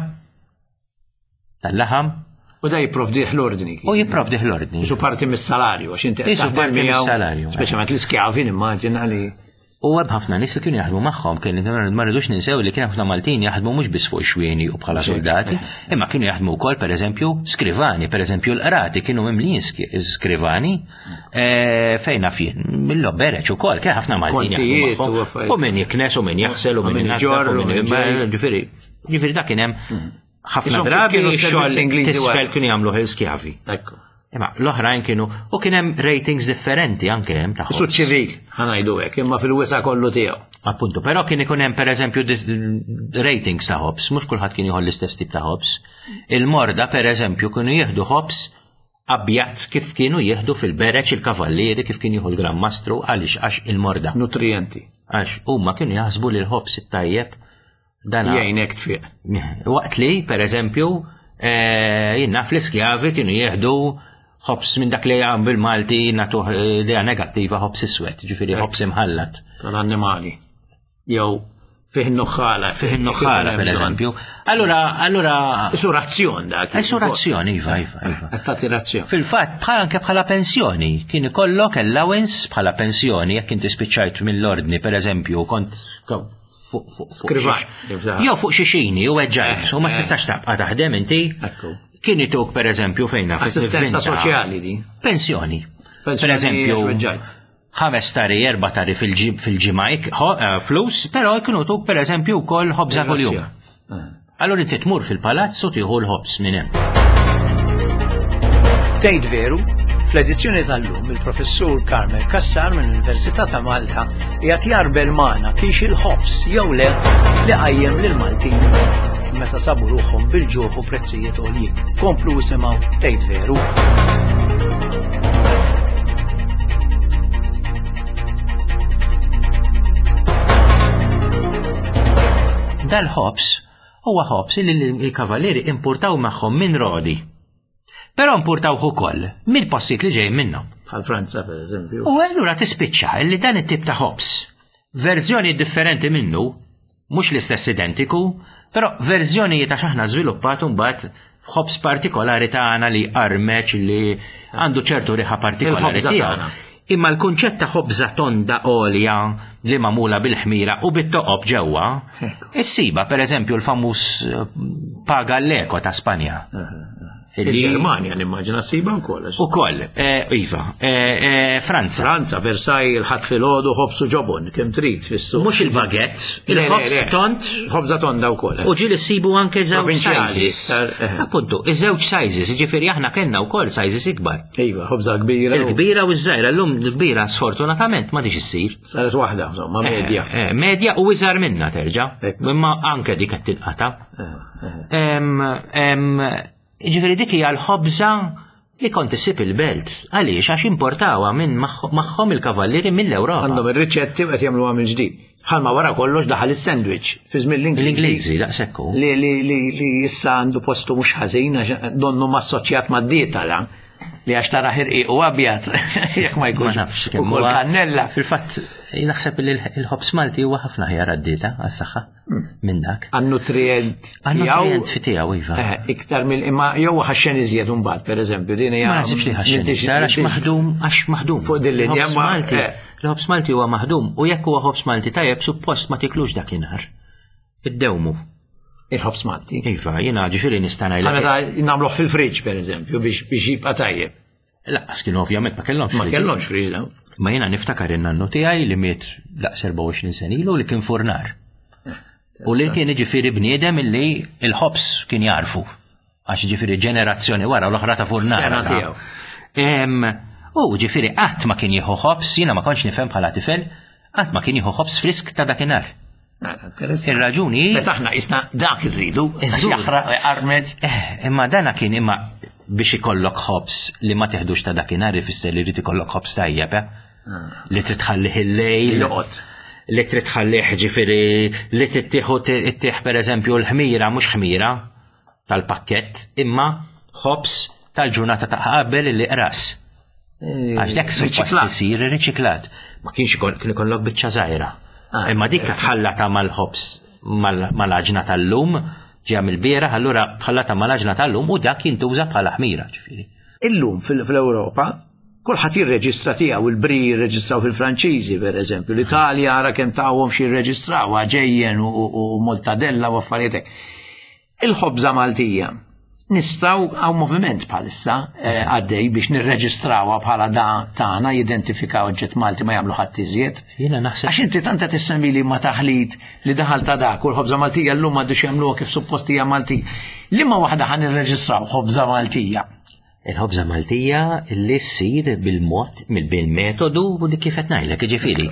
tal-laħam U da jipprovdih l-ordni. u jipprovdih l-ordni. Isu parti mis-salarju, għax inti qed Isu taħdem parti miegħu, mis-salarju, eh. Speċjalment l-iskjavi nimmaġina li U hemm ħafna nies li kienu jaħdmu magħhom, kien ma rridux ninsew li kien ħafna Maltin jaħdmu mhux biss fuq xwieni u bħala soldati, imma kienu jaħdmu wkoll pereżempju skrivani, pereżempju l-qrati kienu mimlijin skrivani eh, fejn naf jien, mill-lobbereċ ukoll, kien ħafna Maltin jaħdmu Kontijiet u magħhom. affarijiet. U min jiknes u min jaħsel u U min min inaddaf iġorr u u min min ġej. ġifieri ġifieri dak kien hemm ħafna Isom drabi kienu servizzi x-xogħol Ingliżi tisfel wara. kienu jagħmlu il-skjavi. Ekku. Imma l-oħrajn kienu u kien hemm ratings differenti anke hemm tagħhom. Isu ċivil, ħanajdu hekk, imma fil-wisa kollu tiegħu. Appunto, però kien ikun hemm pereżempju ratings ta' ħobs, mhux kulħadd kien jieħu l-istess tip ta' ħobs. Il-morda pereżempju kienu jieħdu ħobs Abjad kif kienu jieħdu fil-bereġ il-kavallieri kif kien jieħu l-Gran Mastru għaliex għax il-morda. Nutrijenti. Għax huma kienu jaħsbu li l-ħobż it-tajjeb dan jgħinek tfiq. Waqt li, per eżempju, eh, jien naf l-iskjavi kienu jieħdu ħobż minn dak li għam bil-Malti natuh idea negattiva ħobż iswed, ġifieri ħobż imħallat. Tal-annimali. Jew fih nuħħala. Fih nuħħala, per eżempju. Allura, allura. Isu razzjon dak. Isu razzjon, iva, iva, iva. Qed tagħti razzjon. Fil-fatt, bħal anke bħala pensjoni, kien ikollok allowance bħala pensjoni jekk inti spiċċajt mill-ordni, per eżempju, kont fuq Skrivan. Jew fuq xi xini u weġġajt eh, u ma eh. tistax tabqa' taħdem inti. Kien ituk per eżempju fejn naf. Assistenza soċjali di. Pensjoni. Per eżempju, ħames tari, erba tari fil-ġimgħa eh, flus, però jkunu tuk per eżempju wkoll ħobża kuljum. Eh. Allura inti tmur fil-palazz u tieħu l-ħobż minn hemm. Tgħid veru, fl-edizzjoni tal-lum il-professur Carmen Cassar mill-Università ta' Malta qiegħed jarbel magħna kiex il-ħobż jew le li qajjem lil Maltin meta sabu ruħhom bil-ġuħ u prezzijiet għoljin. Komplu isimgħu tgħid veru. Dal-ħobż huwa ħobż li l-kavallieri importaw magħhom minn Rodi. Però importawh ukoll mill-postijiet li ġejjin minnhom. Bħal Franza pereżempju. U allura tispiċċa li dan it-tip ta' ħobż, verżjoni differenti minnu, Mhux l-istess identiku, però verżjonijiet għax aħna żviluppat mbagħad ħobż partikolari tagħna li armeċ li għandu ċertu riħa partikolari tiegħu. Imma l-kunċett ta' ħobża tonda għolja li magħmula bil-ħmira u bit-toqob ġewwa, issiba pereżempju l-famuż eh, paga l-eko ta' Spanja. Il-Ġermanja nimmaġina ssiba wkoll. Ukoll, eh, iva, eh, eh, Franza. Franza, Versailles, il-ħadd filgħodu ħobż u ġobon, kemm trid fis-suq. Mhux il-baguette, il-ħobż tont. Ħobża tonda wkoll. U ġieli ssibu anke żewġ sizes. Appuntu, iż-żewġ sizes, jiġifieri aħna kellna wkoll sizes ikbar. Iva, ħobża kbira. Il-kbira u ż-żgħira, llum l-kbira sfortunatament ma diġ issir. Saret waħda, insomma, medja. Medja u iżgħar minna terġa', imma anke dik qed tinqata'. Ġifieri dik hija l-ħobża li kont issib il-belt. Għaliex għax importawha minn magħhom il-kavallieri mill-Ewropa. Għandhom ir-riċetti u qed jagħmluha mill-ġdid. Bħalma wara kollox daħal is-sandwich fi żmien l-Ingliżi. L-Ingliżi daqshekk hu. Li li li li issa għandu postu mhux ħażin għax donnu massoċjat mad-dieta la li għax tara ħirqiq u abjad jekk ma jkunx. Ma nafx kemm ukoll kannella. Fil-fatt naħseb li l-ħobż Malti huwa ħafna ħjar għad-dieta għas-saħħa. minn dak. Għan-nutrient tiegħu. Fi tiegħu iva. Eh, iktar mill imma jew ħaxxen iżjed imbagħad pereżempju din hija. Ma naħsibx li ħaxxen iktar għax maħdum għax maħdum. Fuq din linja Malti. Eh. Il-ħobż Malti huwa maħdum u jekk huwa ħobż Malti tajjeb suppost ma tiklux dakinhar. Iddewmu. Il-ħobż Malti. Iva, jiena ġifieri nista' ngħidlek. Meta nagħmluh fil-friġġ pereżempju biex jibqa' tajjeb. Laqqas kienu ovvjament ma kellhomx Ma kellhomx friġ dawn. Ma jiena niftakar in-nannu tiegħi li miet daqs 24 sena ilu li kien furnar. Eh, U li kien ġifieri bniedem illi il-ħobs kien jarfu. Għax ġifieri ġenerazzjoni wara l-oħra ta' furnar. Sena tiegħu. U ġifieri qatt ma kien jieħu ħobs, jiena ma kontx nifhem bħala tifel, qatt ma kien jieħu ħobs frisk ta' dakinhar. Ir-raġuni. Meta aħna isna dak irridu, jaħraq armed. Eh, imma dana kien imma biex ikollok ħobs li ma teħdux ta' dakinhar ifisser li jrid ikollok ħobs tajjeb, eh? Ah. Li trid tħallih il-lejl. Li trid tħallih ġifieri li tittieħu ittieħ pereżempju l-ħmira mhux ħmira tal-pakkett, imma ħobs tal-ġurnata ta' qabel li qras. Eh, Għax dak suppost isir riċiklat. Ma kienx kien ikollok biċċa żgħira. Ah, imma dik tħallata mal-ħobs mal-għaġna tal-lum, ġeja mill-bieraħ, allura tħallata mal-għaġna tal-lum u dak jintuża bħala ħmira ġifieri. Illum fil-Ewropa kulħadd jirreġistra tiegħu, il-bri jirreġistraw fil-Franċiżi pereżempju, l-Italja ara kemm tawhom xi jirreġistraw ġejjen u Mortadella u affarijiet hekk. Il-ħobża Maltija. Nistgħu hawn moviment bħalissa eh, għaddej biex nirreġistrawha bħala da tagħna jidentifikaw oġġett Malti ma jagħmlu ħadd iżjed. Jiena naħseb. Għax inti tant qed issemmi li ma taħlit li daħal ta' dak u l-ħobża Maltija llum m'għadux jagħmluha kif suppost hija Maltija. Liema waħda ħa nirreġistraw ħobża Maltija? Il-ħobża Maltija li ssir bil-mod, bil-metodu li kif qed ngħidlek, jiġifieri,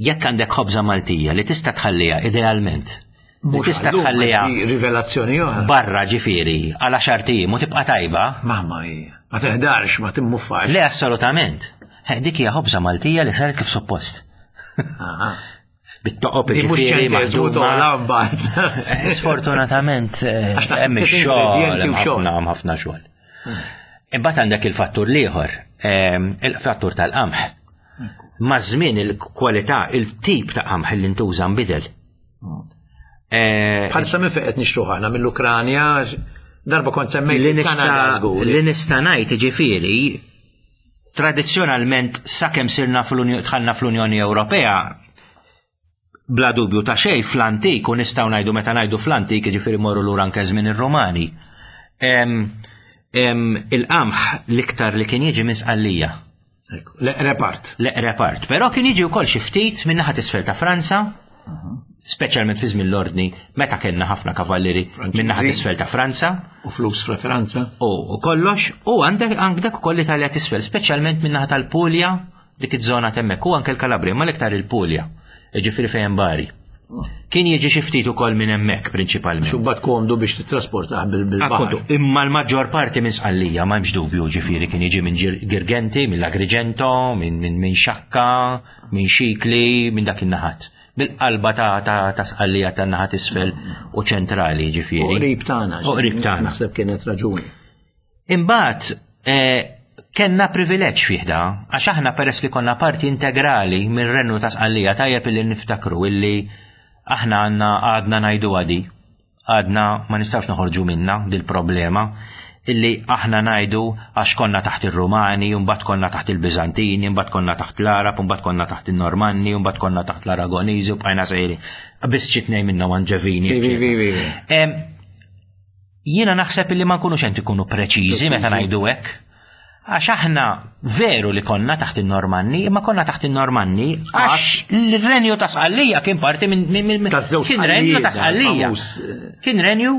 jekk għandek ħobża Maltija li tista' tħalliha idealment. Li tista' tħalliha rivelazzjoni oħra. Barra ġifieri għal għaxar ijiem u tibqa' tajba. Mamma hija. Ma teħdarx, ma timmuffax. Le assolutament. Eh, dik hija ħobża Maltija li saret kif suppost. Bit-toqob ġifieri maħduma. Eh, sfortunatament eh, hemm ix-xogħol, ħafna ħafna xogħol. Imbagħad għandek il-fattur l-ieħor, il-fattur tal-qamħ. Maż-żmien il-kwalità, il-tip ta' qamħ li ntuża nbidel. Eh, Bħalissa minn fejn qed nixtruh aħna mill-Ukranja, darba kont semmejt li nista' li nista' ngħid ġifieri tradizzjonalment sakemm sirna fl-Unjoni dħalna fl-Unjoni Ewropea bla dubju ta' xejn fl-antik u nistgħu ngħidu meta ngħidu fl-antik jiġifieri morru lura anke żmien ir-Rumani. Il-qamħ l-iktar li kien jiġi minn Sqallija. L-eqreb art. L-eqreb art. Però kien jiġi wkoll xi ftit minn naħa t'isfel ta' Franza, speċjalment fi żmien l-ordni, meta kellna ħafna kavallieri minn naħa t'isfel ta' Franza. U flus fra Franza. U kollox, u għandek għandek ukoll l-Italja t'isfel, speċjalment minn naħa tal-Puglia, dik iż-żona t'hemmhekk, u anke l-Kalabria, ma l-iktar il-Puglia, jiġifieri fejn Bari. Kien jiġi xi ftit ukoll minn hemmhekk prinċipalment. Xubbat komdu biex titrasportah bil-baħar. Imma l-maġġor parti minn Sqallija ma hemmx dubju ġifieri kien jiġi minn Girgenti, mill-Agrigento, minn Xakka, minn Xikli, minn dak in-naħat. Bil-qalba ta' Sqallija tan-naħat isfel u ċentrali ġifieri. U qrib tagħna. U qrib tagħna. Naħseb kienet raġuni. Imbagħad eh, kellna privileġġ fih da, għax aħna peress li konna parti integrali mir-Renju ta' Sqallija tajjeb illi niftakru illi aħna għandna għadna ngħidu għadi, għadna ma nistgħux noħorġu minna dil-problema illi aħna ngħidu għax konna taħt ir-Rumani, mbagħad konna taħt il-Biżantini, mbagħad konna taħt l-Arab, mbagħad konna taħt in-Normanni, mbagħad konna taħt l-Aragoniżi u bqajna sejri. Biss xi tnejn minnhom Anġevini. Jiena naħseb illi ma nkunux qed ikunu preċiżi meta ngħidu hekk. Għax aħna veru li konna taħt in-Normanni, imma konna taħt in-Normanni għax l-renju ta' Sqallija kien parti minn kien renju ta' Sqallija. Kien renju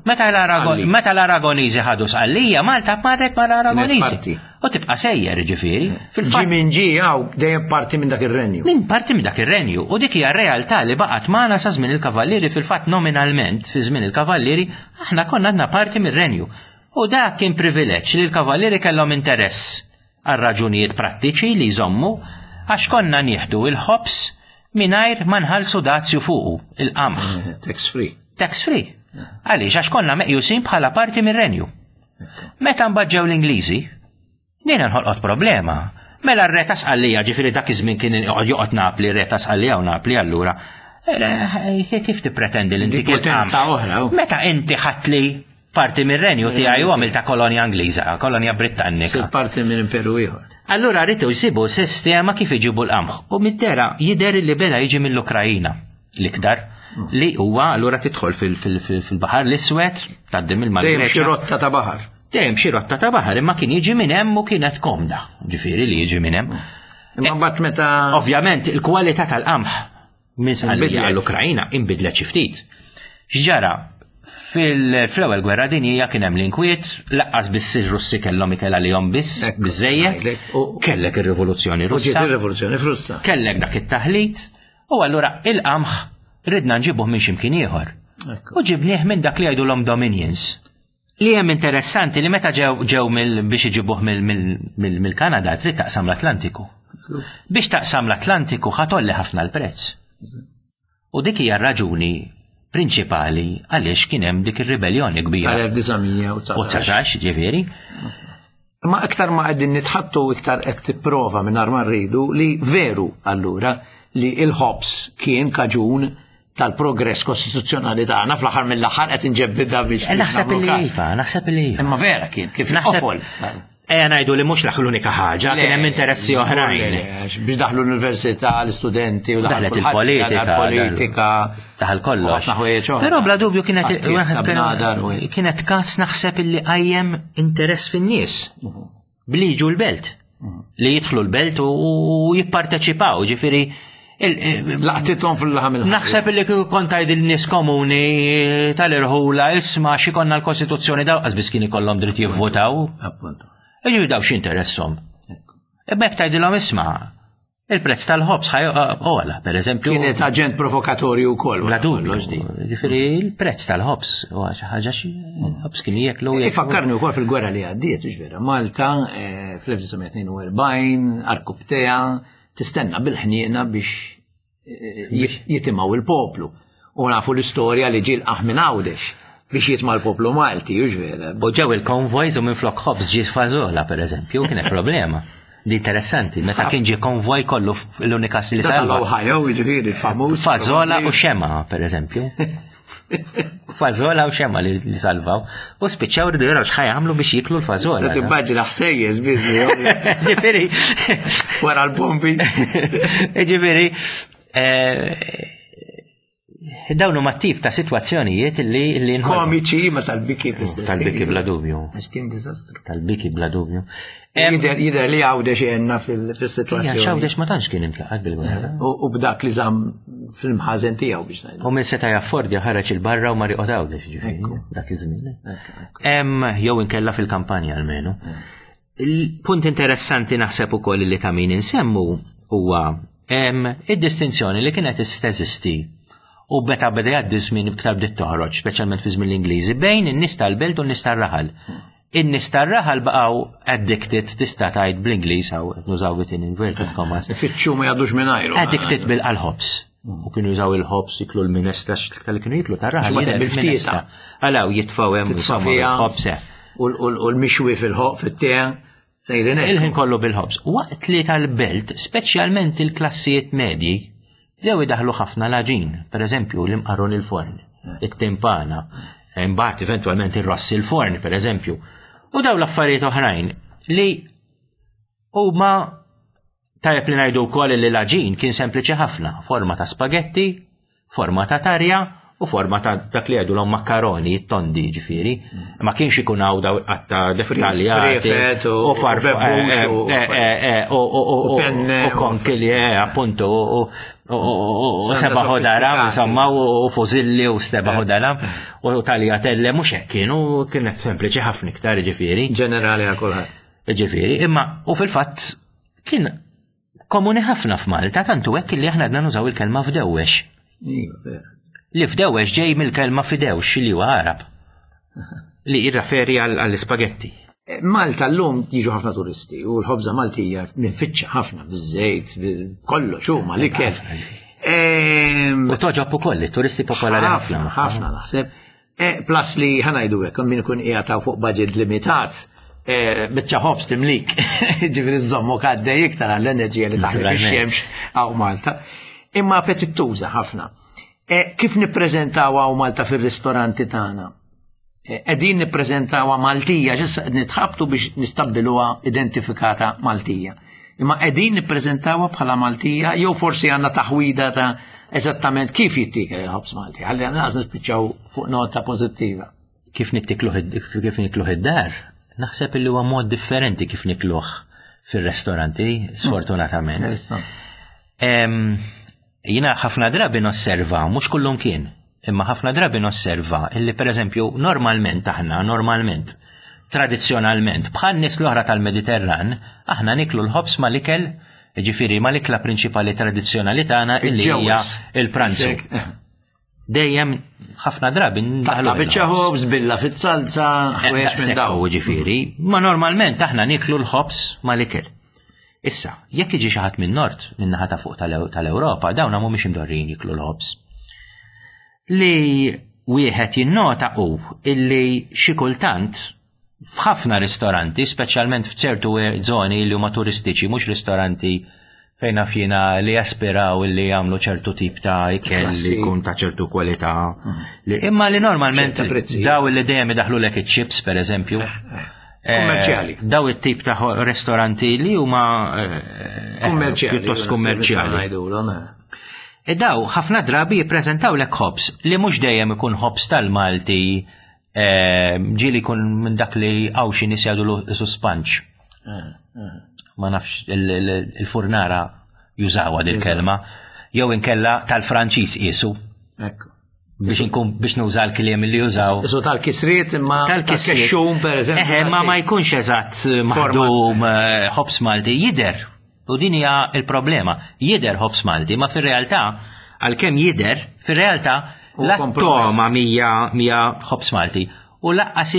meta l-Aragoniżi ħadu Sqallija, Malta marret mal-Aragoniżi. U tibqa' sejjer ġifieri. Fil-fatt minn ġi hawn dejjem parti minn dak ir-renju. Minn parti minn dak ir-renju. U dik hija r-realtà li baqgħet magħna sa żmien il-Kavallieri fil-fatt nominalment fi żmien il-Kavallieri aħna konna għadna parti mir-renju. U dak kien privileġġ li l-Kavallieri kellhom interess għal raġunijiet prattiċi li jżommu għax konna nieħdu il-ħobż mingħajr ma nħallsu dazju fuqu, il-qamħ. Eh, tax free. Tax free. Għaliex għax konna meqjusin bħala parti mir-renju. Meta mbagħad ġew l-Ingliżi, dejna nħolqot problema. Mela r-re ta' Sqallija, ġifieri dak iż-żmien kien joqgħod Napli, re ta' Sqallija u Napli allura. Eh, kif tippretendi li inti potenza oħra? Meta inti ħatli parti mir-renju tiegħi u għamilta kolonja Ingliża, kolonja Britannika. Sir parti minn imperu ieħor. Allura rritu jsibu sistema kif iġibu l-qamħ u mid-dera jidher li beda jiġi mill-Ukrajina. L-iktar li huwa allura tidħol fil-Baħar l-Iswed, tgħaddi mill Dejjem xi rotta ta' baħar. Dejjem xi rotta ta' baħar, imma kien jiġi minn hemm u kienet komda, ġifieri li jiġi minn hemm. Imma mbagħad meta Ovvjament il-kwalità tal-qamħ minn Sqallija għall-Ukrajna inbidlet xi ftit. X'ġara? Fil-ewwel gwerra dinjija kien hemm l-inkwiet, laqqas biss ir-Russi kellhom ikel għalihom biss, biżejjed. Kellek ir-rivoluzzjoni Russa. U ġiet ir-rivoluzzjoni Russa. Kellek dak it-taħlit, U allura il-qamħ ridna nġibuh minn x'imkien ieħor. U ġibnieh minn dak li jgħidulhom Dominions. Li hemm interessanti li meta ġew ġew biex iġibuh mill-Kanada trid taqsam l-Atlantiku. Biex taqsam l-Atlantiku ħatolli ħafna l-prezz. U dik hija r-raġuni prinċipali għaliex kien hemm dik ir-ribelljoni kbira. Tal-1919. ġifieri. Imma iktar ma qegħdin nitħattu iktar qed tipprova mingħajr ma rridu li veru allura li il-ħobż kien kaġun tal-progress kostituzzjonali tagħna fl-aħħar mill-aħħar qed inġebbidha biex. Eh, naħseb li iva, naħseb li iva. Imma vera kien kif naħseb. Ejja ngħidu li mhux l-unika ħaġa, kien hemm interessi oħrajn. Biex daħlu l-università, l-istudenti u daħlet il-politika. Politika. Daħal kollox. Però bla dubju kienet kienet kas naħseb illi qajjem interess fin-nies mhm. bli jiġu l-belt. Mhm. Li jidħlu l-belt u jipparteċipaw, ġifieri eh, Laqtithom fil-laħam il Naħseb li kieku kont tgħid il-nies komuni eh, tal-irħula isma' xi konna l-Kostituzzjoni daw qas biss kien ikollhom dritt jivvotaw. Appunto. Iġu daw x'interesshom. Imma jekk tgħidilhom isma' Il-prezz tal-ħobż ħaj ogħla, per eżempju. Kienet aġent provokatorju wkoll. Bla dubju. Ġifieri il-prezz tal-ħobż huwa xi ħaġa xi ħobż kien jieklu. Ifakkarni wkoll fil-gwerra li għaddiet, vera. Malta eh, fl-1942 arkubtea tistenna bil-ħniena biex eh, jitimgħu il-poplu. U nafu l-istorja li ġie l-qaħ minn Għawdex biex jitma' l-poplu Malti, hux vera. U ġew il-konvojs u minflok ħobż ġiet fażola, per eżempju, kienet problema. Di interessanti, meta kien ġie konvoj kollu l-unika li salva. Ohio, jiġifieri famuż. Fażola u xema, per eżempju. Fażola u xema li salvaw. U spiċċaw rridu jaraw x'ħaj jagħmlu biex jiklu l-fażola. Timmaġina ħsejjes biss. Ġifieri. Wara l-bombi. Ġifieri. Eh, dawn huma tip ta' sitwazzjonijiet li li Komiċi ma tal-biki fl-istess. Tal-biki bla dubju. Għax kien diżastru. Tal-biki bla dubju. Jider jider li għawdex jenna fil-sitwazzjoni. Għawdex ma tantx kien intlaqat bil-gwerra. U b'dak li żamm fil-mħażen tiegħu biex ngħidu. U minn seta' jaffordja ħareġ il-barra u ma riqod għawdex ġifieri dak iż-żmien. Jew inkella fil-kampanja almenu. Il-punt interessanti naħseb ukoll li ta' min insemmu huwa id-distinzjoni li kienet teżisti u meta beda jgħaddi żmien iktar bdiet toħroġ, speċjalment fi żmien l-Ingliżi, bejn in-nies tal-belt u n-nies tar-raħal. In-nies tar-raħal baqgħu addicted tista' tgħid bl-Ingliż hawn qed nużaw it in inverted commas. Ifittxu ma jgħaddux mingħajru. Addicted bil-ħobż. U kienu jużaw il-ħobż jiklu l-minestra li kienu jiklu tar-raħal. Bil-ftieta. Għalaw jitfgħu hemm il-ħobż. Eh. U l-mixwi fil-ħoq fit-tea sejrin hekk. Il-ħin kollu bil-ħobż. Waqt li tal-belt, speċjalment il-klassijiet medji, bdew idaħlu ħafna l-għaġin, per eżempju l-imqarrun il-forn, it-timpana, imbagħad eventwalment ir-ross il-forn, per eżempju. U daw l-affarijiet oħrajn li huma tajjeb li ngħidu wkoll li l-għaġin kien sempliċi ħafna, forma ta' spagetti, forma ta' tarja u forma ta' dak li għedu l makkaroni, tondi ġifiri. Ma kienx ikun hawn daw qatta dettaljati u farfa eh, eh, eh, u konkili, appuntu, u seba ħodara, insomma, u fużilli u seba ħodara, u taljatelle, mhux hekk kienu, kienet sempliċi ħafna iktar ġifieri. Ġenerali għal kulħadd. Ġifieri, imma u fil-fatt kien komuni ħafna f'Malta, tantu hekk li aħna għadna nużaw il-kelma fdewwex. Iva, li fdewwex ġej mill-kelma fidewx li huwa Arab. Li jirreferi għall-ispagetti. Eh, Malta l-lum jiġu ħafna turisti u l-ħobza Maltija minfittxa ħafna biż-żejt, kollox huma l-ikel. Ehm, u toġob ukoll, turisti popolari ħafna. Ħafna naħseb. Eh, plus li ħanajdu hekk, min ikun qiegħed fuq budget limitat, eh, biċċa ħobż timlik, ġifieri żommok għaddej iktar għall-enerġija li taħdem ix-xemx hawn Malta. Imma appetittuża ħafna. Eh, kif nippreżentaw hawn Malta fir-ristoranti tagħna? Qegħdin nippreżentawha Maltija, x'issa qed nitħabtu biex nistabbiluha identifikata Maltija. Imma qegħdin nippreżentawha bħala Maltija jew forsi għandna taħwida ta' eżattament kif jittiekel il-ħobż Malti. Ħalli għandna nispiċċaw fuq nota pożittiva. Kif nittikluh kif nikluh id-dar, naħseb illi huwa mod differenti kif nikluh fir-restoranti, sfortunatament. Jiena ħafna drabi nosserva, mhux kullum kien, imma ħafna drabi nosserva illi pereżempju normalment aħna, normalment, tradizzjonalment, bħal nies l-oħra tal-Mediterran, aħna niklu l-ħobż mal-ikel, ġifieri mal-ikla prinċipali tradizzjonali tagħna illi hija il-pranzu. Dejjem ħafna drabi ndaħlu. Biċċa ħobż billa fit-salza, ħwejjeġ minn daw. Ġifieri, ma normalment aħna niklu l-ħobż mal-ikel. Issa, jekk iġi xi ħadd minn nord, minn naħa ta' fuq tal-Ewropa, dawn mhumiex imdorrijin jiklu l-ħobż. Li wieħed jinnota hu illi xi kultant f'ħafna ristoranti, speċjalment f'ċertu żoni li huma turistiċi, mhux ristoranti fejn naf jiena li jaspiraw li jagħmlu ċertu tip ta' ikel li jkun ta' ċertu kwalità. Mm. Imma li normalment daw li dejjem idaħlu lek iċ-chips pereżempju. Eh, eh. eh, Kummerċjali. Daw it-tip ta' ristoranti li huma kummerċjali. Pjuttost kummerċjali. E daw ħafna drabi jippreżentaw lek ħobs li mhux dejjem ikun ħobs tal-Malti Ġieli jkun minn dak li għaw xi nies jgħidu isu spanċ. Eh, eh. Ma nafx il-furnara jużawha dil kelma jew inkella tal-Franċiż qisu. Ekku. Biex inkun biex nuża l-kliem li jużaw. Isu tal-kisriet imma tal-kexxum per eżempju. Eħe, ma ma jkunx eżatt maħdum ħobs Malti jidher. U din hija l-problema. Jidher ħobż Malti, ma fir-realtà, għalkemm jidher, fir-realtà Huwa kompromess. l-toma mija mija ħobż Malti. U laqqas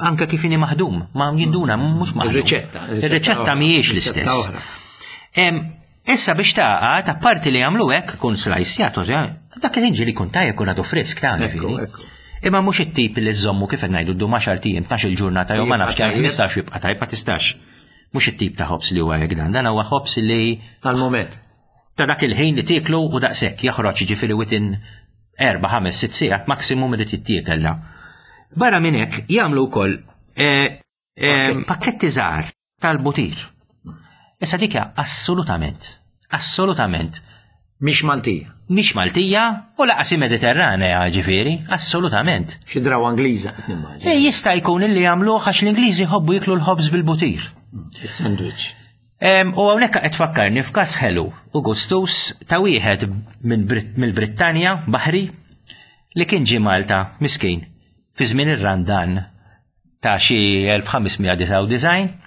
anke kif inhi maħdum, ma jinduna mhux maħdum. Ir-riċetta, Ir-riċetta mhijiex riċetta l-istess. oħra. Issa biex taqgħad, apparti li jagħmlu hekk kun slajsjat, dak li ġieli kun tajjeb kun għadu frisk ta' Ekku, ġifieri. ekku. Imma mhux it-tip li żommu kif qed ngħidu ddum 10 ijiem, 12 il-ġurnata jew ma Jibqa' nafx kemm tajjeb. tistax jibqa' tajjeb ma tistax. Mhux it-tip ta' ħobż li huwa hekk dan, dan huwa ħobż li Tal-moment. ta' dak il-ħin li tieklu u daqshekk joħroġ ġifieri within 4, 5, 6 sigħat maksimum irid jittiekel da. Barra minn hekk jagħmlu wkoll eh, eh, pakketti żgħar tal-butir. Issa dik hija assolutament, assolutament Mhix Maltija. mhix Maltija u laqas hi Mediterranea ġifieri, assolutament. Xi drawa Ingliża qed nimmaġina. E jista' jkun illi jagħmluh għax l-Ingliżi jħobbu jiklu l-ħobż bil-butir. Il-sandwich. U hawnhekk qed tfakkarni f'każ ħelu u gustus ta' wieħed minn Brit- mill-Brittanja, Baħri, li kien ġie Malta miskin fi żmien ir-Randan ta' xi 1599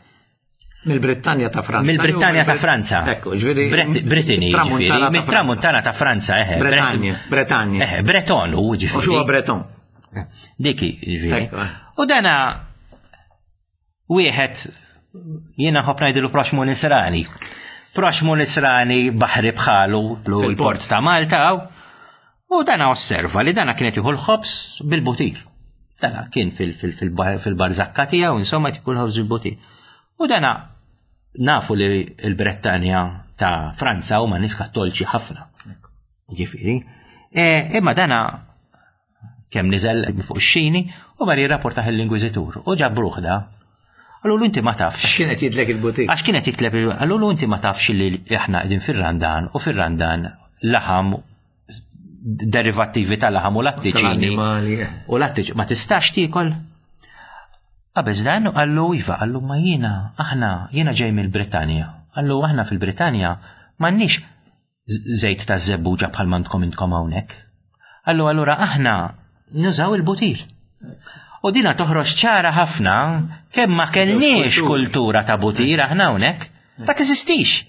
Mill-Brittanja ta' Franza. mill-Brittanja ta' Franza. Ekku, ġifieri. Brittany, ġifieri, Tramuntana ta' mit-tramuntana ta' Franza, eħe. Bretagna, Bretagna. Eħe, Breton u U xu ġifieri. Breton. Diki, ġifieri. Ekku, eh. U dana wieħed jiena nħobb ngħidilu proxmu nisrani. Proxmu nisrani baħri bħalu Fil-port. l-port ta' Malta hawn. U dana osserva li dana kienet jieħu l-ħobż bil-butir. Dana kien fil-barzakka tiegħu, insomma, jieħu l-ħobż bil-butir. U dana nafu li l-Brettanja ta' Franza huma nies kattoliċi ħafna. Ġifieri. E, Imma dana kemm niżel fuq ix-xini u mar jirrapportaħ l-Inkwiżitur u ġabruh da. Qalulu inti ma tafx. Għax kienet jidlek il-butir. Għax kienet jitleb qalulu inti ma tafx li aħna qegħdin fir-Randan u fir-Randan laħam derivattivi ta' laħam u lattiċini. Tal-annimali, eh. U lattiċ ma tistax tiekol. Qabeż dan qallu iva, qallu ma jiena aħna jiena ġej mill-Brittanja. Qallu aħna fil-Brittanja m'għandniex żejt ta' żebbuġa bħal m'għandkom intkom hawnhekk. Qallu allura aħna nużaw il-butir. U dina toħroġ ċara ħafna kemm ma kellniex kulturi. kultura ta' butir aħna hawnhekk. Ma teżistix.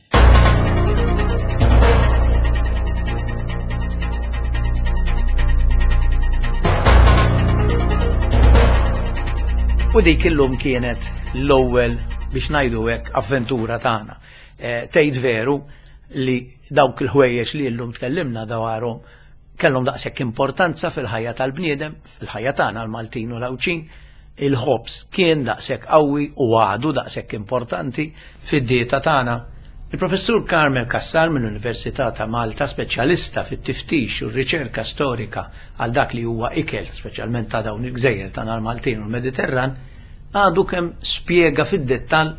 U dik illum kienet l-ewwel biex ngħidu hekk avventura tagħna. Eh, Tgħid veru li dawk il-ħwejjeġ li llum tkellimna dwarhom kellhom daqshekk importanza fil-ħajja tal-bniedem, fil-ħajja tagħna l-Maltin u l-Għawdxin, il-ħobż kien daqshekk qawwi u għadu daqshekk importanti fid-dieta tagħna. Il-professur Carmel Cassar mill-Università ta' Malta, speċjalista fit-tiftix u r-riċerka storika għal dak li huwa ikel, speċjalment ta' dawn il-gżejjer tagħna l-Maltin u l-Mediterran, għadu kemm spjega fid-dettall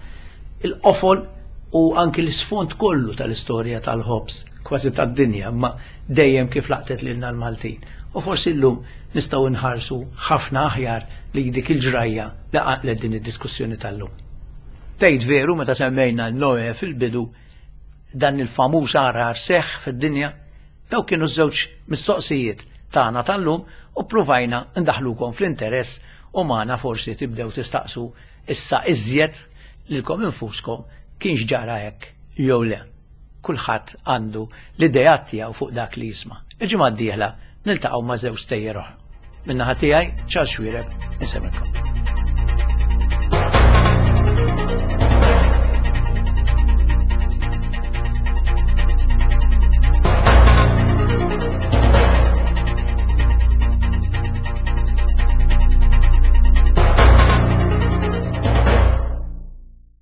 il-qofol u anki l-isfond kollu tal-istorja tal-ħobż, kważi tad-dinja, imma dejjem kif laqtet lilna l-Maltin. U forsi llum nistgħu nħarsu ħafna aħjar li dik il-ġrajja li qanqlet din id-diskussjoni tal-lum. Tgħid veru meta semmejna Noe fil-bidu dan il-famuż għarar seħħ fid-dinja, daw kienu żewġ mistoqsijiet tagħna tal-lum u ppruvajna ndaħlukom fl-interess u magħna forsi tibdew tistaqsu issa iżjed lilkom infuskom kienx ġara hekk jew le. Kulħadd għandu l-ideat tiegħu fuq dak li jisma'. Il-ġimgħa d-dieħla niltaqgħu ma' żewġ stejjer oħra. Min-naħa tiegħi Charles Xuereb, insemmilkom.